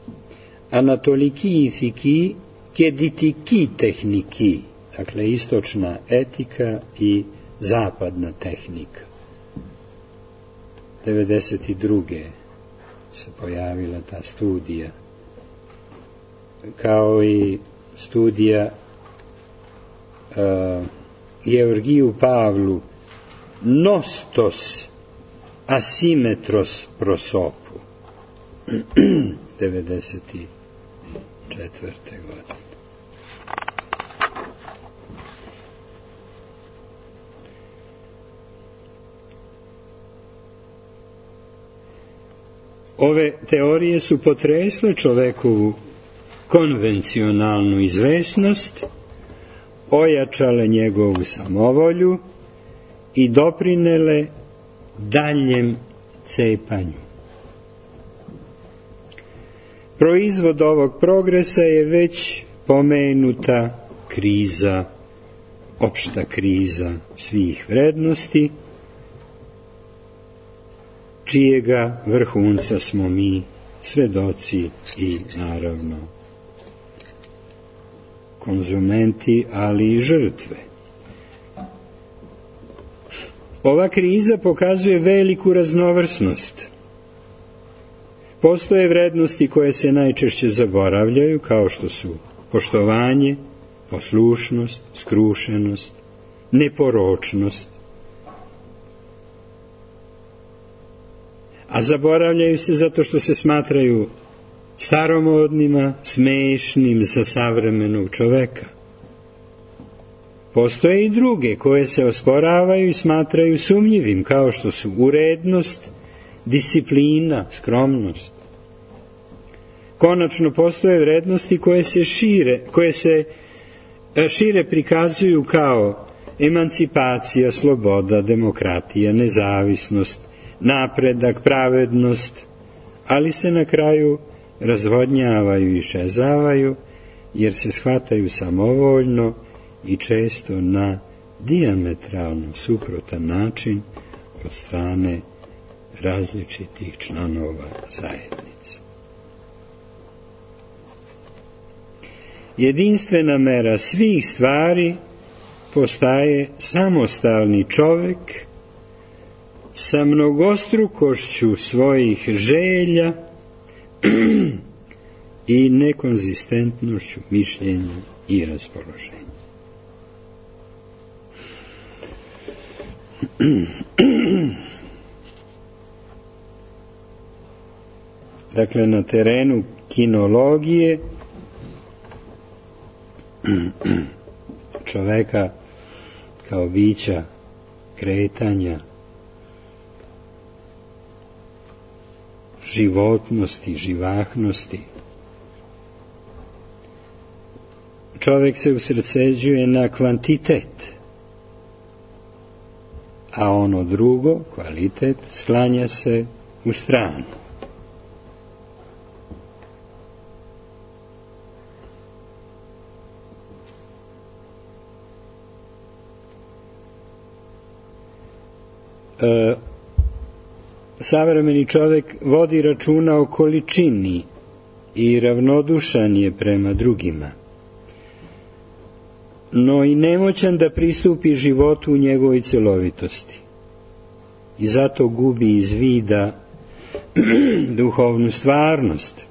Anatoliki ithiki ke ditiki tehniki, dakle istočna etika i zapadna tehnika. devedeset druge se pojavila ta studija, kao i studija uh, Georgiju Pavlu Nostos asimetros prosopu devedeset četvrte godine. Ove teorije su potresle čovekovu konvencionalnu izvesnost, ojačale njegovu samovolju i doprinele daljem cepanju. Proizvod ovog progresa je već pomenuta kriza, opšta kriza svih vrednosti, čijega vrhunca smo mi svedoci i naravno konzumenti, ali i žrtve. Ova kriza pokazuje veliku raznovrsnost. Postoje vrednosti koje se najčešće zaboravljaju, kao što su poštovanje, poslušnost, skrušenost, neporočnost. A zaboravljaju se zato što se smatraju staromodnima, smešnim za savremenog čoveka. Postoje i druge koje se osporavaju i smatraju sumnjivim, kao što su urednost, disciplina, skromnost. Konačno postoje vrednosti koje se šire, koje se šire prikazuju kao emancipacija, sloboda, demokratija, nezavisnost, napredak, pravednost, ali se na kraju razvodnjavaju i iščezavaju, jer se shvataju samovoljno i često na dijametralno suprotan način od strane različitih članova zajednice. Jedinstvena mera svih stvari postaje samostalni čovek sa mnogostrukošću svojih želja i nekonzistentnošću mišljenja i raspoloženja. Dakle, na terenu kinologije čoveka kao bića kretanja, životnosti, živahnosti, čovek se usredsređuje na kvantitet, a ono drugo, kvalitet, sklanja se u stranu. E, savremeni čovek vodi računa o količini i ravnodušan je prema drugima, no i nemoćan da pristupi životu u njegovoj celovitosti. I zato gubi iz vida duhovnu stvarnost.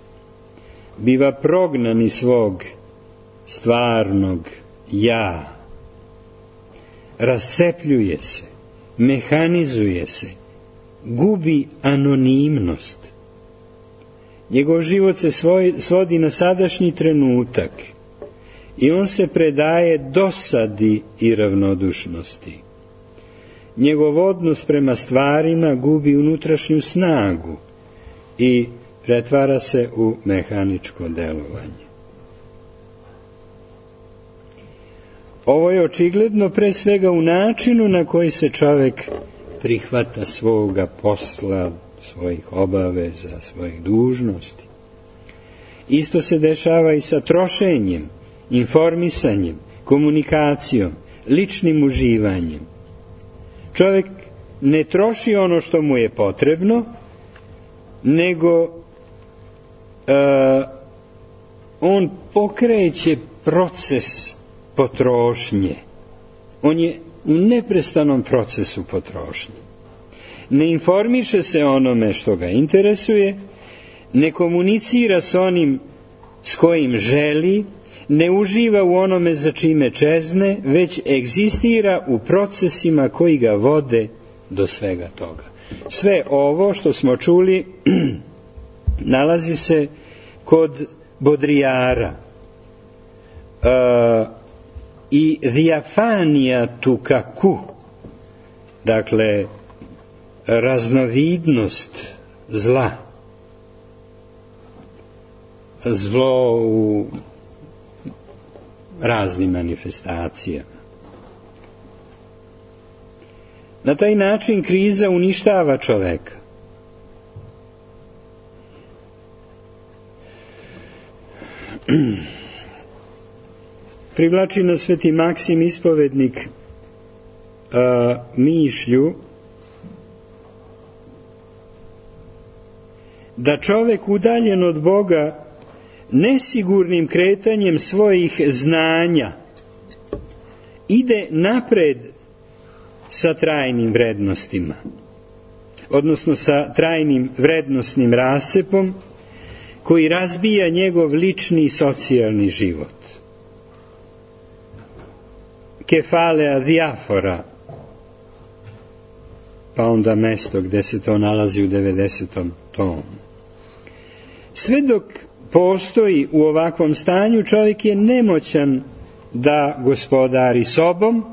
Biva prognan iz svog stvarnog ja. Rascepljuje se, mehanizuje se, gubi anonimnost. Njegov život se svoj, svodi na sadašnji trenutak i on se predaje dosadi i ravnodušnosti. Njegov odnos prema stvarima gubi unutrašnju snagu i pretvara se u mehaničko delovanje. Ovo je očigledno pre svega u načinu na koji se čovek prihvata svoga posla, svojih obaveza, svojih dužnosti. Isto se dešava i sa trošenjem, informisanjem, komunikacijom, ličnim uživanjem. Čovek ne troši ono što mu je potrebno, nego uh, on pokreće proces potrošnje. On je u neprestanom procesu potrošnje. Ne informiše se onome što ga interesuje, ne komunicira s onim s kojim želi, ne uživa u onome za čime čezne, već egzistira u procesima koji ga vode do svega toga. Sve ovo što smo čuli nalazi se kod Bodrijara. Uh, i diafanija tukaku, dakle raznovidnost zla, zlo u raznim manifestacijama. Na taj način kriza uništava čoveka. Privlači nas Sveti Maksim ispovednik a, mišlju da čovek udaljen od Boga nesigurnim kretanjem svojih znanja ide napred sa trajnim vrednostima, odnosno sa trajnim vrednostnim rascepom koji razbija njegov lični i socijalni život. Kefalea diafora, pa onda mesto gde se to nalazi u devedesetom tomu. Sve dok postoji u ovakvom stanju, čovjek je nemoćan da gospodari sobom,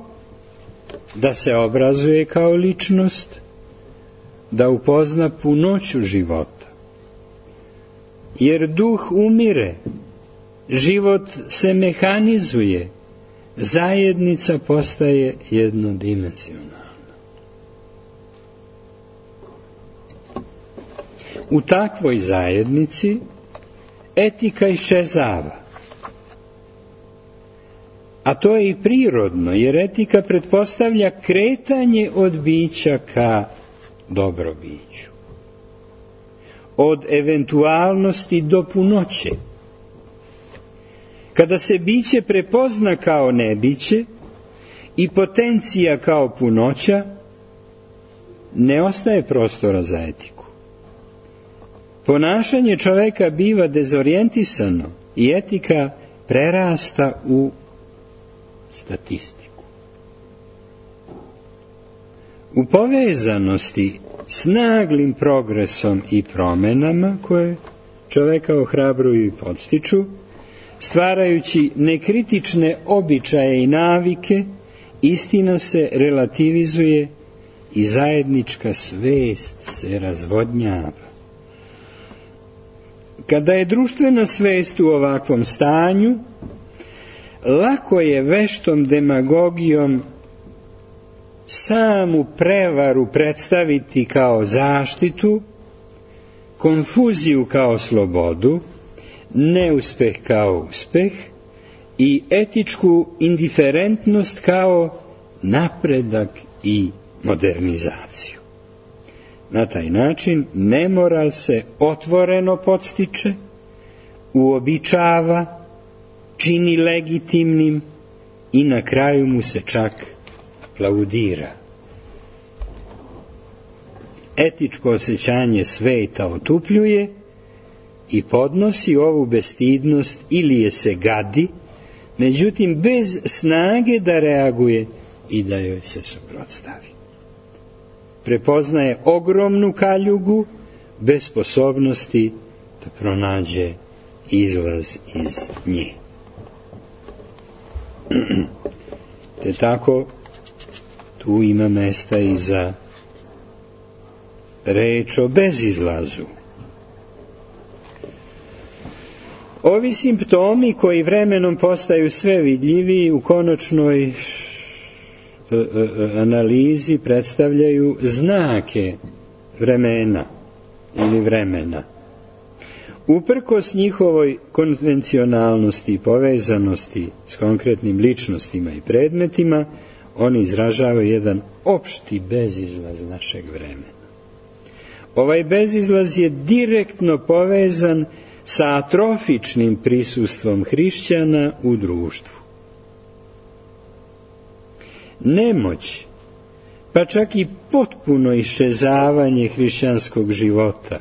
da se obrazuje kao ličnost, da upozna punoću života. Jer duh umire, život se mehanizuje, zajednica postaje jednodimenzionalna. U takvoj zajednici etika iščezava. A to je i prirodno, jer etika pretpostavlja kretanje od bića ka dobrobiću. Od eventualnosti do punoće. Kada se biće prepozna kao nebiće i potencija kao punoća, ne ostaje prostora za etiku. Ponašanje čoveka biva dezorijentisano i etika prerasta u statistiku. U povezanosti s naglim progresom i promenama koje čoveka ohrabruju i podstiču, stvarajući nekritične običaje i navike, istina se relativizuje i zajednička svest se razvodnjava. Kada je društvena svest u ovakvom stanju, lako je veštom demagogijom samu prevaru predstaviti kao zaštitu, konfuziju kao slobodu, neuspeh kao uspeh i etičku indiferentnost kao napredak i modernizaciju. Na taj način nemoral se otvoreno podstiče, uobičava, čini legitimnim i na kraju mu se čak aplaudira. Etičko osjećanje sveta otupljuje i podnosi ovu bestidnost ili je se gadi, međutim bez snage da reaguje i da joj se suprotstavi. Prepoznaje ogromnu kaljugu bez sposobnosti da pronađe izlaz iz nje. Te tako tu ima mesta i za reč o bezizlazu. Ovi simptomi koji vremenom postaju sve vidljiviji u konačnoj analizi predstavljaju znake vremena ili vremena. Uprkos njihovoj konvencionalnosti i povezanosti s konkretnim ličnostima i predmetima, oni izražavaju jedan opšti bezizlaz našeg vremena. Ovaj bezizlaz je direktno povezan sa atrofičnim prisustvom hrišćana u društvu. Nemoć, pa čak i potpuno iščezavanje hrišćanskog života,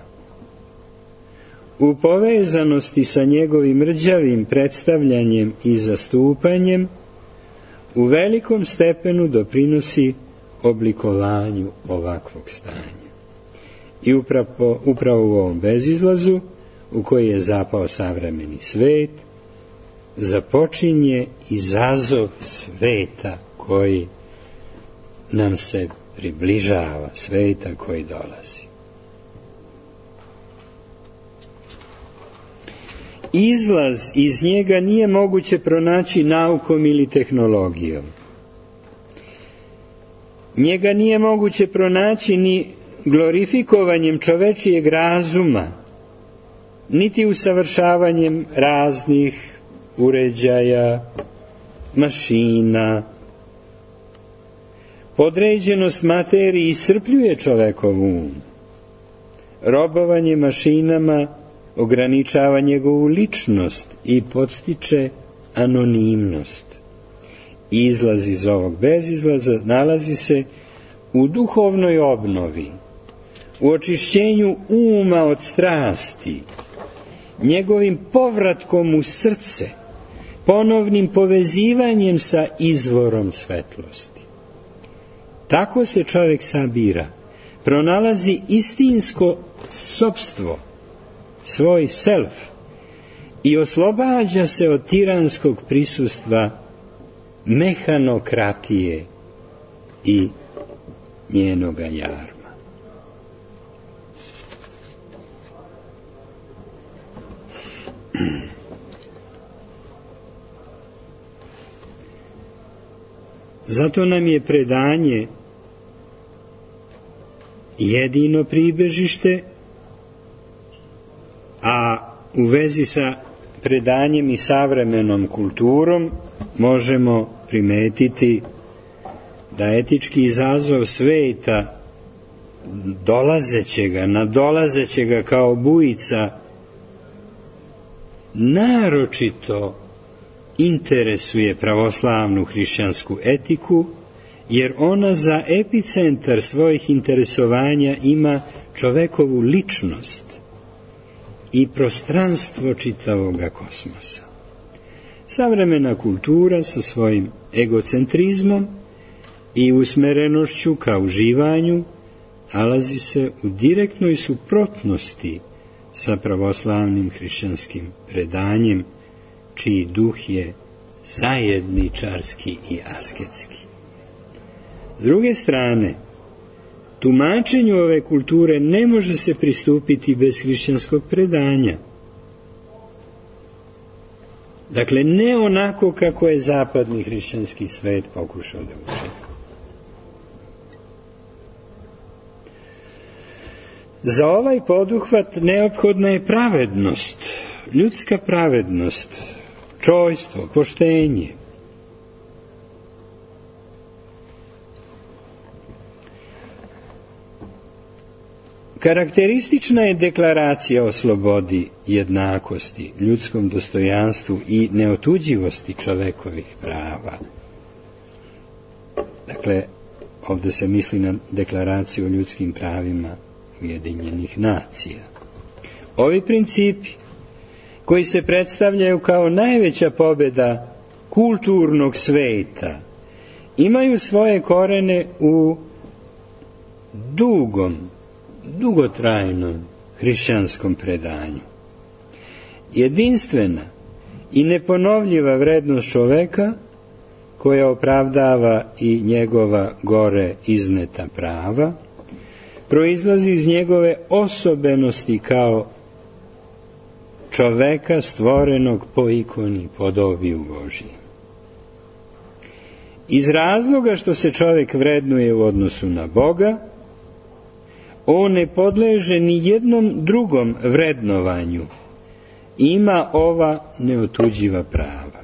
u povezanosti sa njegovim rđavim predstavljanjem i zastupanjem, u velikom stepenu doprinosi oblikovanju ovakvog stanja. I upravo, upravo u ovom bezizlazu, u koji je zapao savremeni svet, započinje izazov sveta koji nam se približava, sveta koji dolazi. Izlaz iz njega nije moguće pronaći naukom ili tehnologijom. Njega nije moguće pronaći ni glorifikovanjem čovečijeg razuma, niti usavršavanjem raznih uređaja, mašina. Podređenost materiji iscrpljuje čovekov um. Robovanje mašinama ograničava njegovu ličnost i podstiče anonimnost. Izlaz iz ovog bezizlaza nalazi se u duhovnoj obnovi, u očišćenju uma od strasti, njegovim povratkom u srce, ponovnim povezivanjem sa izvorom svetlosti. Tako se čovjek sabira, pronalazi istinsko sopstvo, svoj self, i oslobađa se od tiranskog prisustva mehanokratije i njenoga jarma. Zato nam je predanje jedino pribežište, a u vezi sa predanjem i savremenom kulturom možemo primetiti da etički izazov sveta, dolazećega, nadolazećega kao bujica, naročito interesuje pravoslavnu hrišćansku etiku, jer ona za epicentar svojih interesovanja ima čovekovu ličnost i prostranstvo čitavoga kosmosa. Savremena kultura sa svojim egocentrizmom i usmerenošću ka uživanju nalazi se u direktnoj suprotnosti sa pravoslavnim hrišćanskim predanjem, čiji duh je zajedničarski i asketski. S druge strane, tumačenju ove kulture ne može se pristupiti bez hrišćanskog predanja. Dakle, ne onako kako je zapadni hrišćanski svet pokušao da učini. Za ovaj poduhvat neophodna je pravednost, ljudska pravednost, čojstvo, poštenje. Karakteristična je deklaracija o slobodi, jednakosti, ljudskom dostojanstvu i neotuđivosti čovekovih prava. Dakle, ovdje se misli na deklaraciju o ljudskim pravima Ujedinjenih nacija. Ovi principi, koji se predstavljaju kao najveća pobjeda kulturnog sveta, imaju svoje korene u dugom, dugotrajnom hrišćanskom predanju. Jedinstvena i neponovljiva vrednost čoveka, koja opravdava i njegova gore izneta prava, proizlazi iz njegove osobenosti kao čoveka stvorenog po ikoni i podobiju Božiji. Iz razloga što se čovek vrednuje u odnosu na Boga, on ne podleže ni jednom drugom vrednovanju, ima ova neotuđiva prava.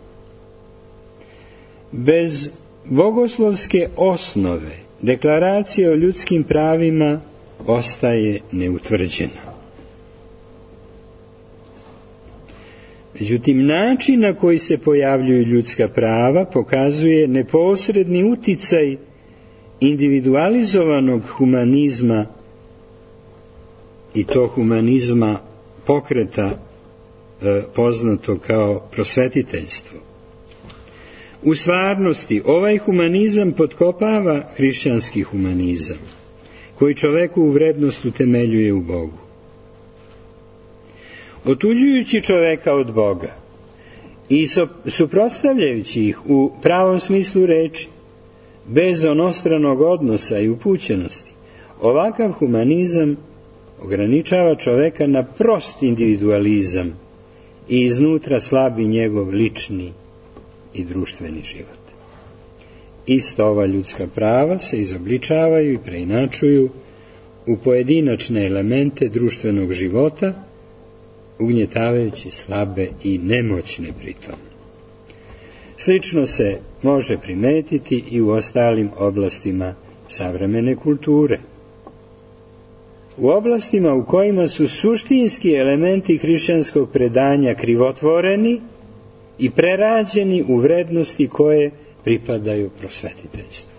Bez bogoslovske osnove deklaracija o ljudskim pravima ostaje neutvrđena. Međutim, način na koji se pojavljuju ljudska prava pokazuje neposredni uticaj individualizovanog humanizma, i to humanizma pokreta e, poznato kao prosvetiteljstvo. U stvarnosti ovaj humanizam potkopava hrišćanski humanizam, koji čoveku vrednost utemeljuje u Bogu. Otuđujući čoveka od Boga i suprotstavljajući ih u pravom smislu reči, bez onostranog odnosa i upućenosti, ovakav humanizam ograničava čoveka na prost individualizam i iznutra slabi njegov lični i društveni život. Ista ova ljudska prava se izobličavaju i preinačuju u pojedinačne elemente društvenog života, ugnjetavajući slabe i nemoćne pritom. Slično se može primetiti i u ostalim oblastima savremene kulture. u oblastima u kojima su suštinski elementi hrišćanskog predanja krivotvoreni i prerađeni u vrednosti koje pripadaju prosvetiteljstvu.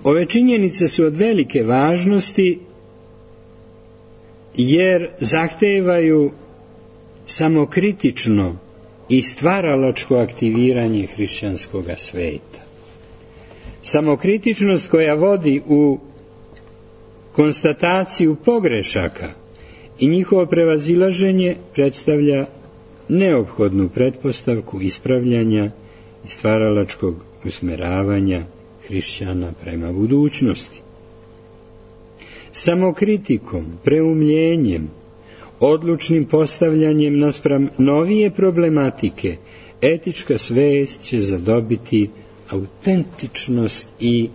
Ove činjenice su od velike važnosti jer zahtevaju samokritično i stvaralačko aktiviranje hrišćanskog sveta. Samokritičnost koja vodi u konstataciju pogrešaka i njihovo prevazilaženje predstavlja neophodnu pretpostavku ispravljanja i stvaralačkog usmeravanja hrišćana prema budućnosti. Samokritikom, preumljenjem, odlučnim postavljanjem naspram novije problematike, etička svest će zadobiti autentičnost i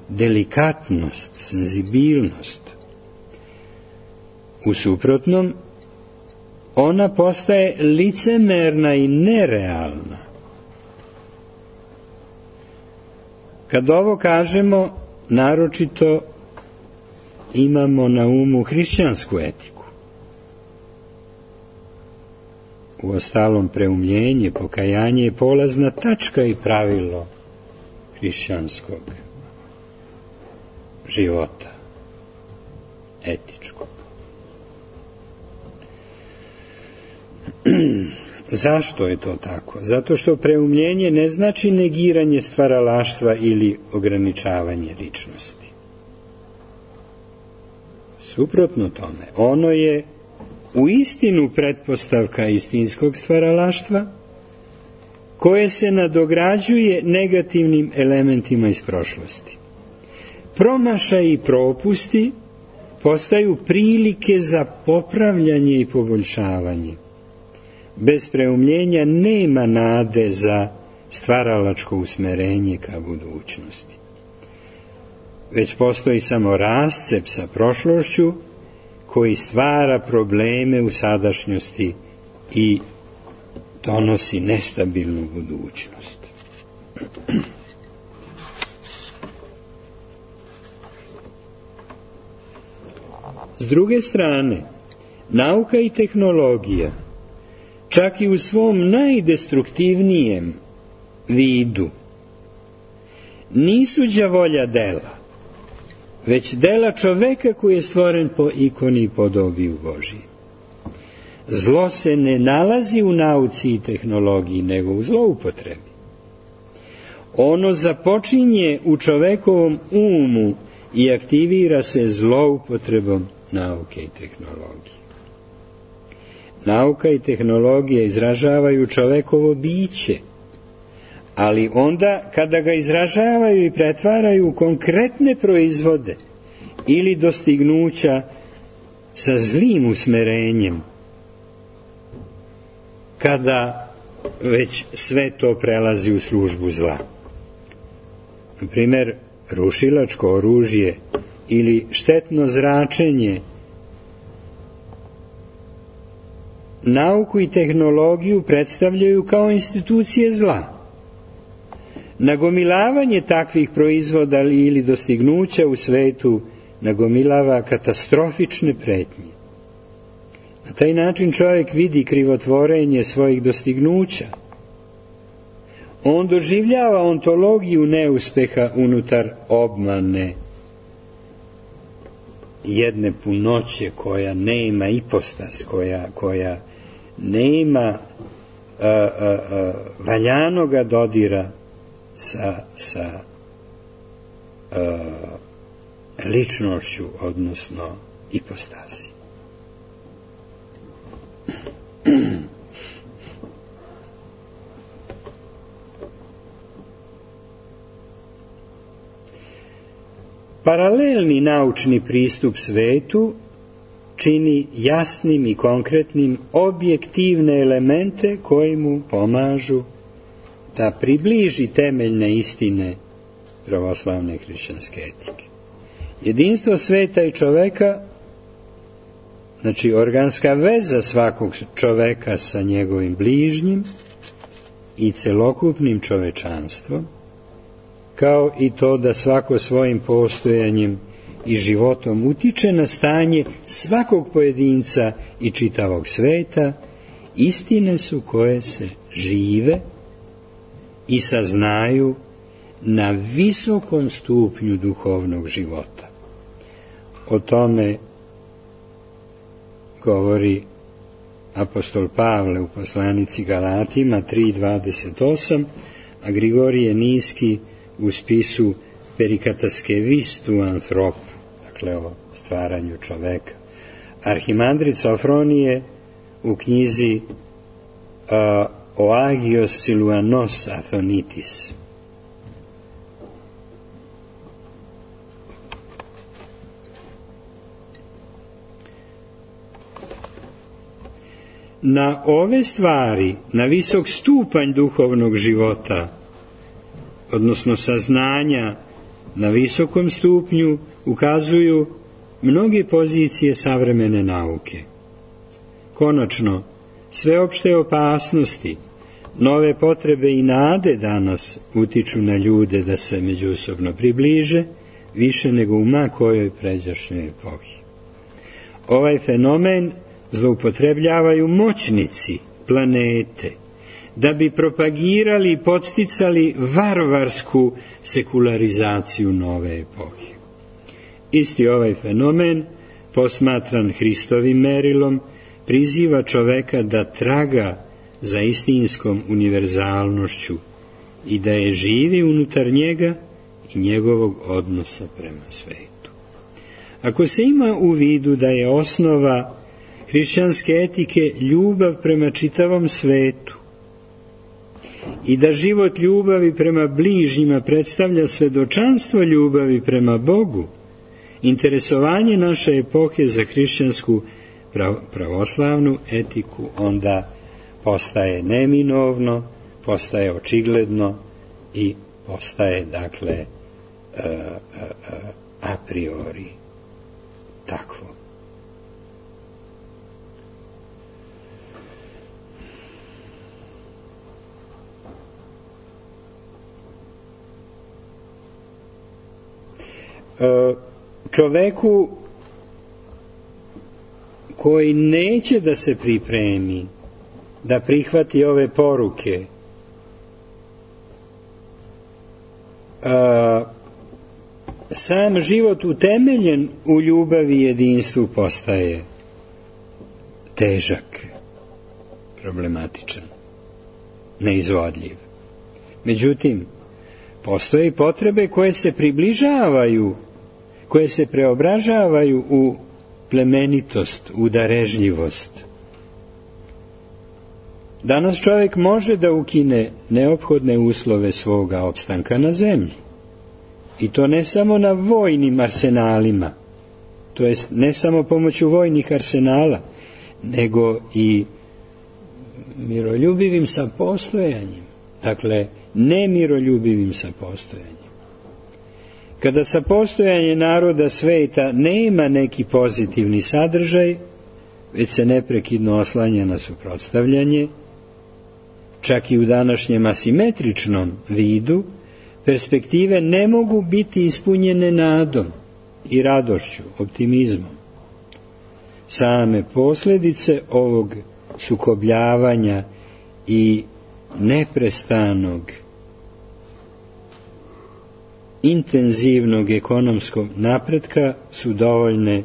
delikatnost, senzibilnost. U suprotnom, ona postaje licemerna i nerealna. Kad ovo kažemo, naročito imamo na umu hrišćansku etiku. Uostalom, preumljenje, pokajanje je polazna tačka i pravilo hrišćanskog života, etičkog. Zašto je to tako? Zato što preumljenje ne znači negiranje stvaralaštva ili ograničavanje ličnosti. Suprotno tome, ono je u istinu pretpostavka istinskog stvaralaštva koje se nadograđuje negativnim elementima iz prošlosti. Promašaji i propusti postaju prilike za popravljanje i poboljšavanje. Bez preumljenja nema nade za stvaralačko usmerenje ka budućnosti. Već postoji samo rascep sa prošlošću koji stvara probleme u sadašnjosti i donosi nestabilnu budućnost. S druge strane, nauka i tehnologija, čak i u svom najdestruktivnijem vidu, nisu đavolja dela, već dela čoveka koji je stvoren po ikoni i podobiju Božiji. Zlo se ne nalazi u nauci i tehnologiji, nego u zloupotrebi. Ono započinje u čovekovom umu i aktivira se zloupotrebom nauke i tehnologije. Nauka i tehnologija izražavaju čovekovo biće, ali onda kada ga izražavaju i pretvaraju u konkretne proizvode ili dostignuća sa zlim usmerenjem, kada već sve to prelazi u službu zla. Na primjer, rušilačko oružje ili štetno zračenje, nauku i tehnologiju predstavljaju kao institucije zla. Nagomilavanje takvih proizvoda ili dostignuća u svetu nagomilava katastrofične pretnje. Na taj način čovjek vidi krivotvorenje svojih dostignuća. On doživljava ontologiju neuspeha unutar obmane jedne punoće koja nema ipostas, koja, koja nema a, a, a, valjanoga dodira sa, sa a, ličnošću, odnosno ipostasi. Paralelni naučni pristup svetu čini jasnim i konkretnim objektivne elemente koji mu pomažu da približi temeljne istine pravoslavne hrišćanske etike. Jedinstvo sveta i čoveka, znači organska veza svakog čoveka sa njegovim bližnjim i celokupnim čovečanstvom, kao i to da svako svojim postojanjem i životom utiče na stanje svakog pojedinca i čitavog sveta, istine su koje se žive i saznaju na visokom stupnju duhovnog života. O tome govori apostol Pavle u poslanici Galatima tri dvadeset osam, a Grigorije Niski u spisu Perikataskevist u Anthropu, dakle o stvaranju čoveka. Arhimandrit Sofronije u knjizi uh, O Agios Siluanos Athonitis. Na ove stvari, na visok stupanj duhovnog života, odnosno saznanja na visokom stupnju, ukazuju mnoge pozicije savremene nauke. Konačno, sveopšte opasnosti, nove potrebe i nade danas utiču na ljude da se međusobno približe, više nego u ma kojoj pređašnjoj epohi. Ovaj fenomen zloupotrebljavaju moćnici planete, da bi propagirali i podsticali varvarsku sekularizaciju nove epohe. Isti ovaj fenomen, posmatran Hristovim merilom, priziva čoveka da traga za istinskom univerzalnošću i da je živi unutar njega i njegovog odnosa prema svetu. Ako se ima u vidu da je osnova hrišćanske etike ljubav prema čitavom svetu i da život ljubavi prema bližnjima predstavlja svedočanstvo ljubavi prema Bogu, interesovanje naše epohe za hrišćansku pravoslavnu etiku onda postaje neminovno, postaje očigledno i postaje, dakle, a priori takvo. Čoveku koji neće da se pripremi, da prihvati ove poruke, a, sam život utemeljen u ljubavi i jedinstvu postaje težak, problematičan, neizvodljiv. Međutim, postoje potrebe koje se približavaju, koje se preobražavaju u plemenitost, u darežljivost. Danas čovjek može da ukine neophodne uslove svoga opstanka na zemlji. I to ne samo na vojnim arsenalima, to jest ne samo pomoću vojnih arsenala, nego i miroljubivim sapostojanjem. Dakle, nemiroljubivim sapostojanjem. Kada sapostojanje naroda sveta nema neki pozitivni sadržaj, već se neprekidno oslanja na suprotstavljanje, čak i u današnjem asimetričnom vidu, perspektive ne mogu biti ispunjene nadom i radošću, optimizmom. Same posljedice ovog sukobljavanja i neprestanog intenzivnog ekonomskog napretka su dovoljne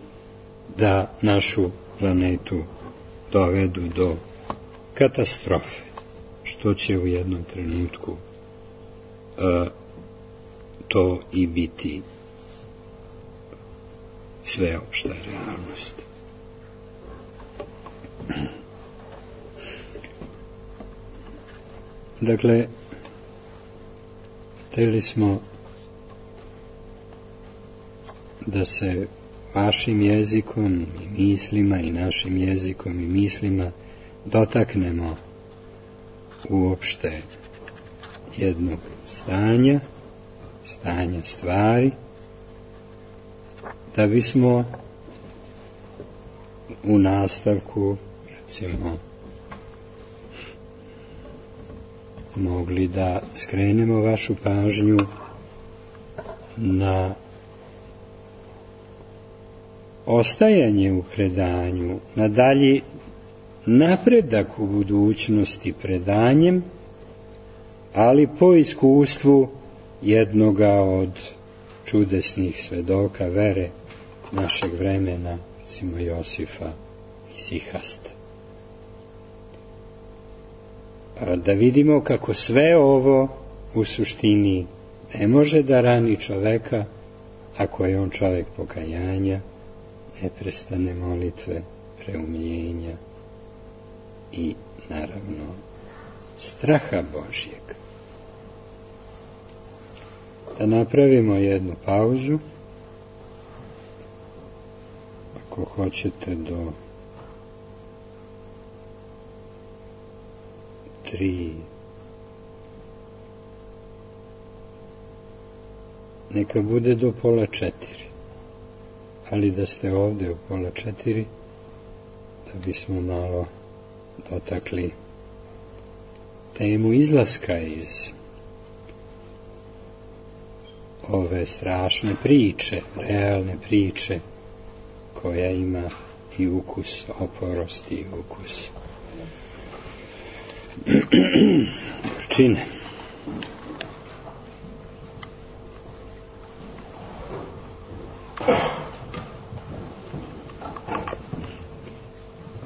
da našu planetu dovedu do katastrofe, što će u jednom trenutku uh, to i biti sveopšta realnost. Dakle, htjeli smo da se vašim jezikom i mislima i našim jezikom i mislima dotaknemo uopšte jednog stanja, stanja stvari, da bismo u nastavku, recimo, mogli da skrenemo vašu pažnju na ostajanje u predanju, na dalji napredak u budućnosti predanjem, ali po iskustvu jednoga od čudesnih svedoka vere našeg vremena, recimo Josifa Isihasta. Da vidimo kako sve ovo u suštini ne može da rani čoveka ako je on čovek pokajanja, neprestane molitve, preumljenja i naravno straha Božjeg. Da napravimo jednu pauzu, ako hoćete do tri, neka bude do pola četiri, ali da ste ovde u pola četiri, da bismo malo dotakli temu izlaska iz ove strašne priče, realne priče, koja ima i ukus oporosti i ukus gorčine.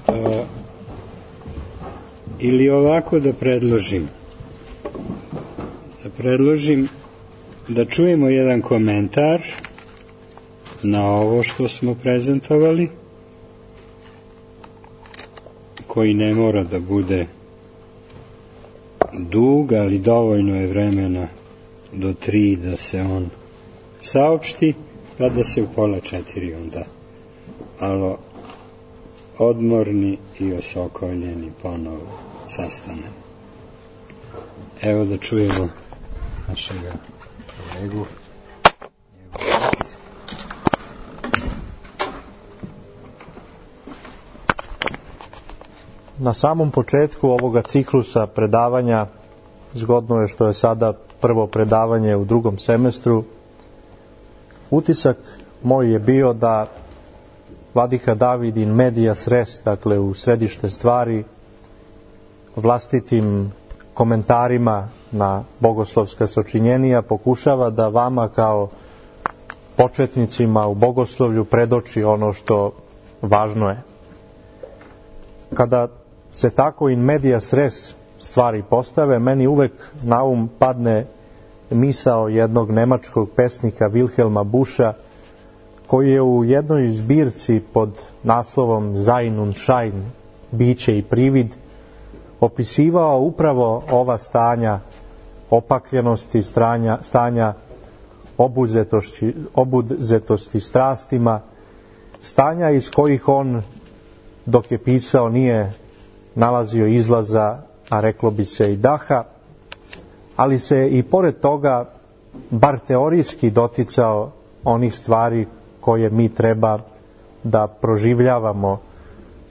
A, ili ovako da predložim da predložim da čujemo jedan komentar na ovo što smo prezentovali, koji ne mora da bude dug, ali dovoljno je vremena do tri da se on saopšti, pa da se u pola četiri onda malo odmorni i osokoljeni ponovo sastanemo. Evo da čujemo našega kolegu. Na samom početku ovoga ciklusa predavanja, zgodno je što je sada prvo predavanje u drugom semestru, utisak moj je bio da Vladika David in medias res, dakle u središte stvari, vlastitim komentarima na bogoslovska sačinjenija pokušava da vama kao početnicima u bogoslovlju predoči ono što važno je. Kada se tako in medias res stvari postave, meni uvek na um padne misao jednog nemačkog pesnika Wilhelma Buscha, koji je u jednoj zbirci pod naslovom Sein und Schein, biće i privid, opisivao upravo ova stanja opakljenosti, stanja, stanja obuzetosti, obuzetosti strastima, stanja iz kojih on, dok je pisao, nije nalazio izlaza, a reklo bi se i daha, ali se i pored toga bar teorijski doticao onih stvari koje mi treba da proživljavamo.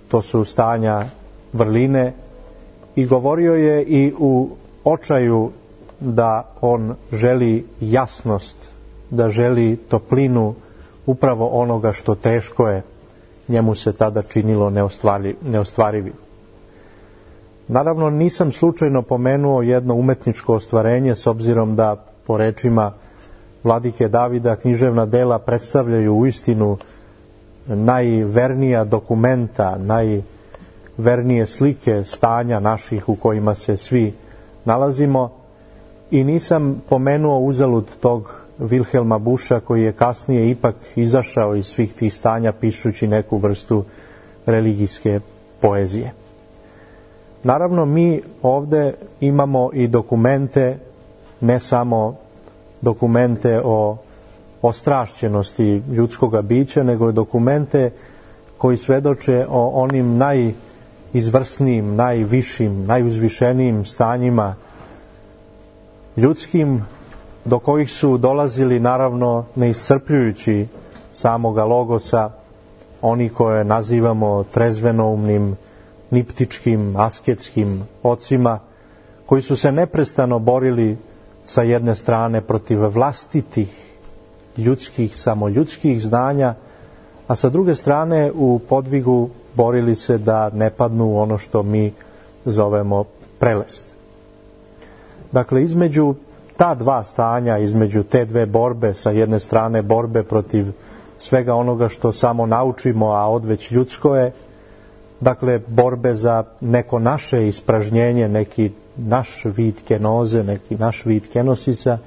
To su stanja vrline, i govorio je i u očaju da on želi jasnost, da želi toplinu upravo onoga što teško je njemu se tada činilo neostvarivim. Naravno, nisam slučajno pomenuo jedno umetničko ostvarenje, s obzirom da, po rečima Vladike Davida, književna dela predstavljaju uistinu najvernija dokumenta, najvernije slike stanja naših u kojima se svi nalazimo, i nisam pomenuo uzalud tog Wilhelma Buscha, koji je kasnije ipak izašao iz svih tih stanja pišući neku vrstu religijske poezije. Naravno, mi ovde imamo i dokumente, ne samo dokumente o ostrašćenosti ljudskoga bića, nego i dokumente koji svedoče o onim najizvrsnijim, najvišim, najuzvišenijim stanjima ljudskim, do kojih su dolazili, naravno, neiscrpljujući samoga logosa, oni koje nazivamo trezvenoumnim, niptičkim, asketskim ocima, koji su se neprestano borili sa jedne strane protiv vlastitih ljudskih, samo ljudskih znanja, a sa druge strane u podvigu borili se da ne padnu u ono što mi zovemo prelest. Dakle, između ta dva stanja, između te dve borbe, sa jedne strane borbe protiv svega onoga što samo naučimo, a odveć ljudsko je, dakle, borbe za neko naše ispražnjenje, neki naš vid kenoze, neki naš vid kenosisa,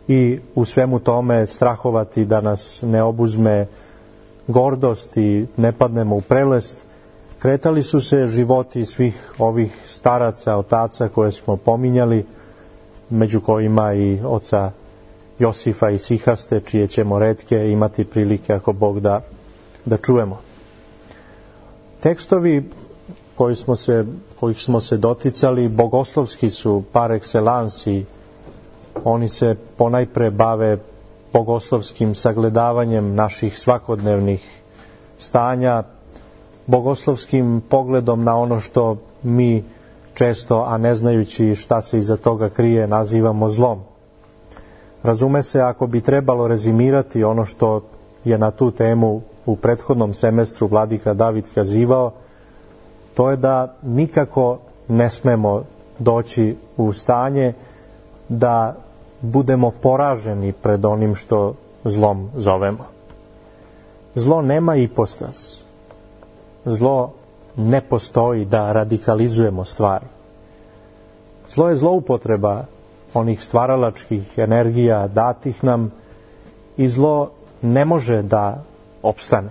i u svemu tome strahovati da nas ne obuzme gordost i ne padnemo u prelest. Kretali su se životi svih ovih staraca, otaca koje smo pominjali, među kojima i oca Josifa i Sihaste, čije ćemo retke imati prilike, ako Bog da, da čujemo. Tekstovi koji smo se, kojih smo se doticali bogoslovski su par excellence i oni se ponajpre bave bogoslovskim sagledavanjem naših svakodnevnih stanja, bogoslovskim pogledom na ono što mi često, a ne znajući šta se iza toga krije, nazivamo zlom. Razume se, ako bi trebalo rezimirati ono što je na tu temu u prethodnom semestru vladika David kazivao, to je da nikako ne smemo doći u stanje da budemo poraženi pred onim što zlom zovemo. Zlo nema ipostas. Zlo ne postoji da radikalizujemo stvari. Zlo je zloupotreba onih stvaralačkih energija datih nam i zlo ne može da opstane.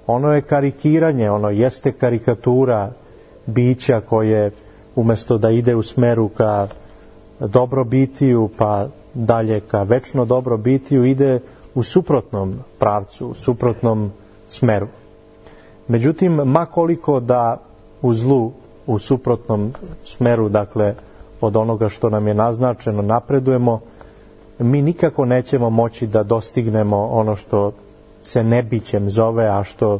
Ono je karikiranje, ono jeste karikatura bića koje umjesto da ide u smeru ka dobrobitiju, pa dalje ka večno dobrobitiju, ide u suprotnom pravcu, u suprotnom smeru. Međutim, makoliko da u zlu, u suprotnom smeru, dakle, od onoga što nam je naznačeno, napredujemo, mi nikako nećemo moći da dostignemo ono što se nebićem zove, a što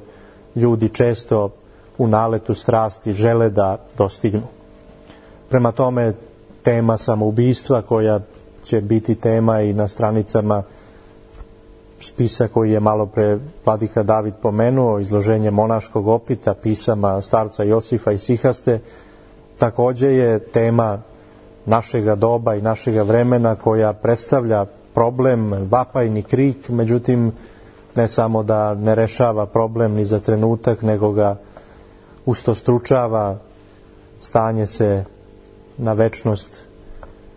ljudi često u naletu strasti žele da dostignu. Prema tome, tema samoubistva, koja će biti tema i na stranicama spisa koji je malo pre vladika David pomenuo, izloženje monaškog opita, pisama starca Josifa i Sihaste, također je tema našega doba i našega vremena, koja predstavlja problem, vapajni krik, međutim ne samo da ne rešava problem ni za trenutak, nego ga ustostručava, stanje se na večnost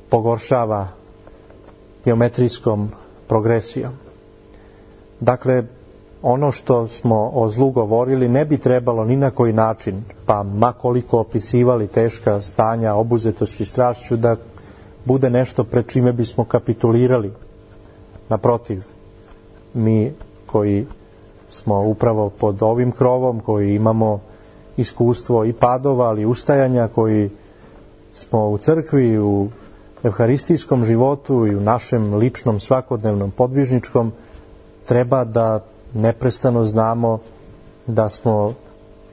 pogoršava geometrijskom progresijom. Dakle, ono što smo o zlu govorili ne bi trebalo ni na koji način, pa makoliko opisivali teška stanja obuzetosti strašću, da bude nešto pred čime bismo kapitulirali. Naprotiv, mi koji smo upravo pod ovim krovom, koji imamo iskustvo i padova, ali i ustajanja, koji smo u crkvi, u evharistijskom životu i u našem ličnom svakodnevnom podvižničkom, treba da neprestano znamo da smo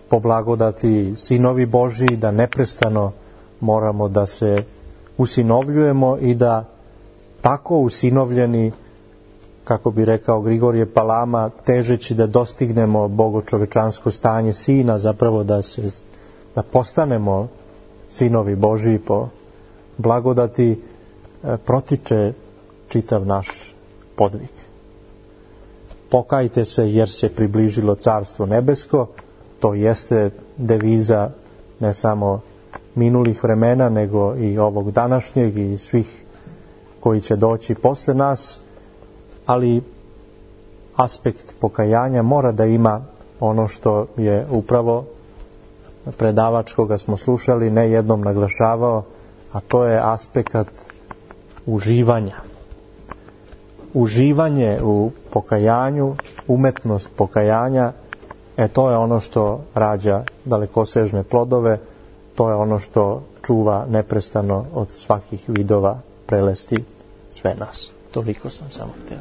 po blagodati sinovi Božiji, da neprestano moramo da se usinovljujemo i da tako usinovljeni, kako bi rekao Grigorije Palama, težeći da dostignemo bogočovečansko stanje sina, zapravo da se da postanemo sinovi Božiji po blagodati, protiče čitav naš podvig. Pokajte se jer se približilo carstvo nebesko, to jeste deviza ne samo minulih vremena, nego i ovog današnjeg i svih koji će doći posle nas, ali aspekt pokajanja mora da ima ono što je upravo predavač koga smo slušali ne jednom naglašavao, a to je aspekt uživanja. Uživanje u pokajanju, umetnost pokajanja, e to je ono što rađa dalekosežne plodove, to je ono što čuva neprestano od svakih vidova prelesti sve nas. Toliko sam samo htio.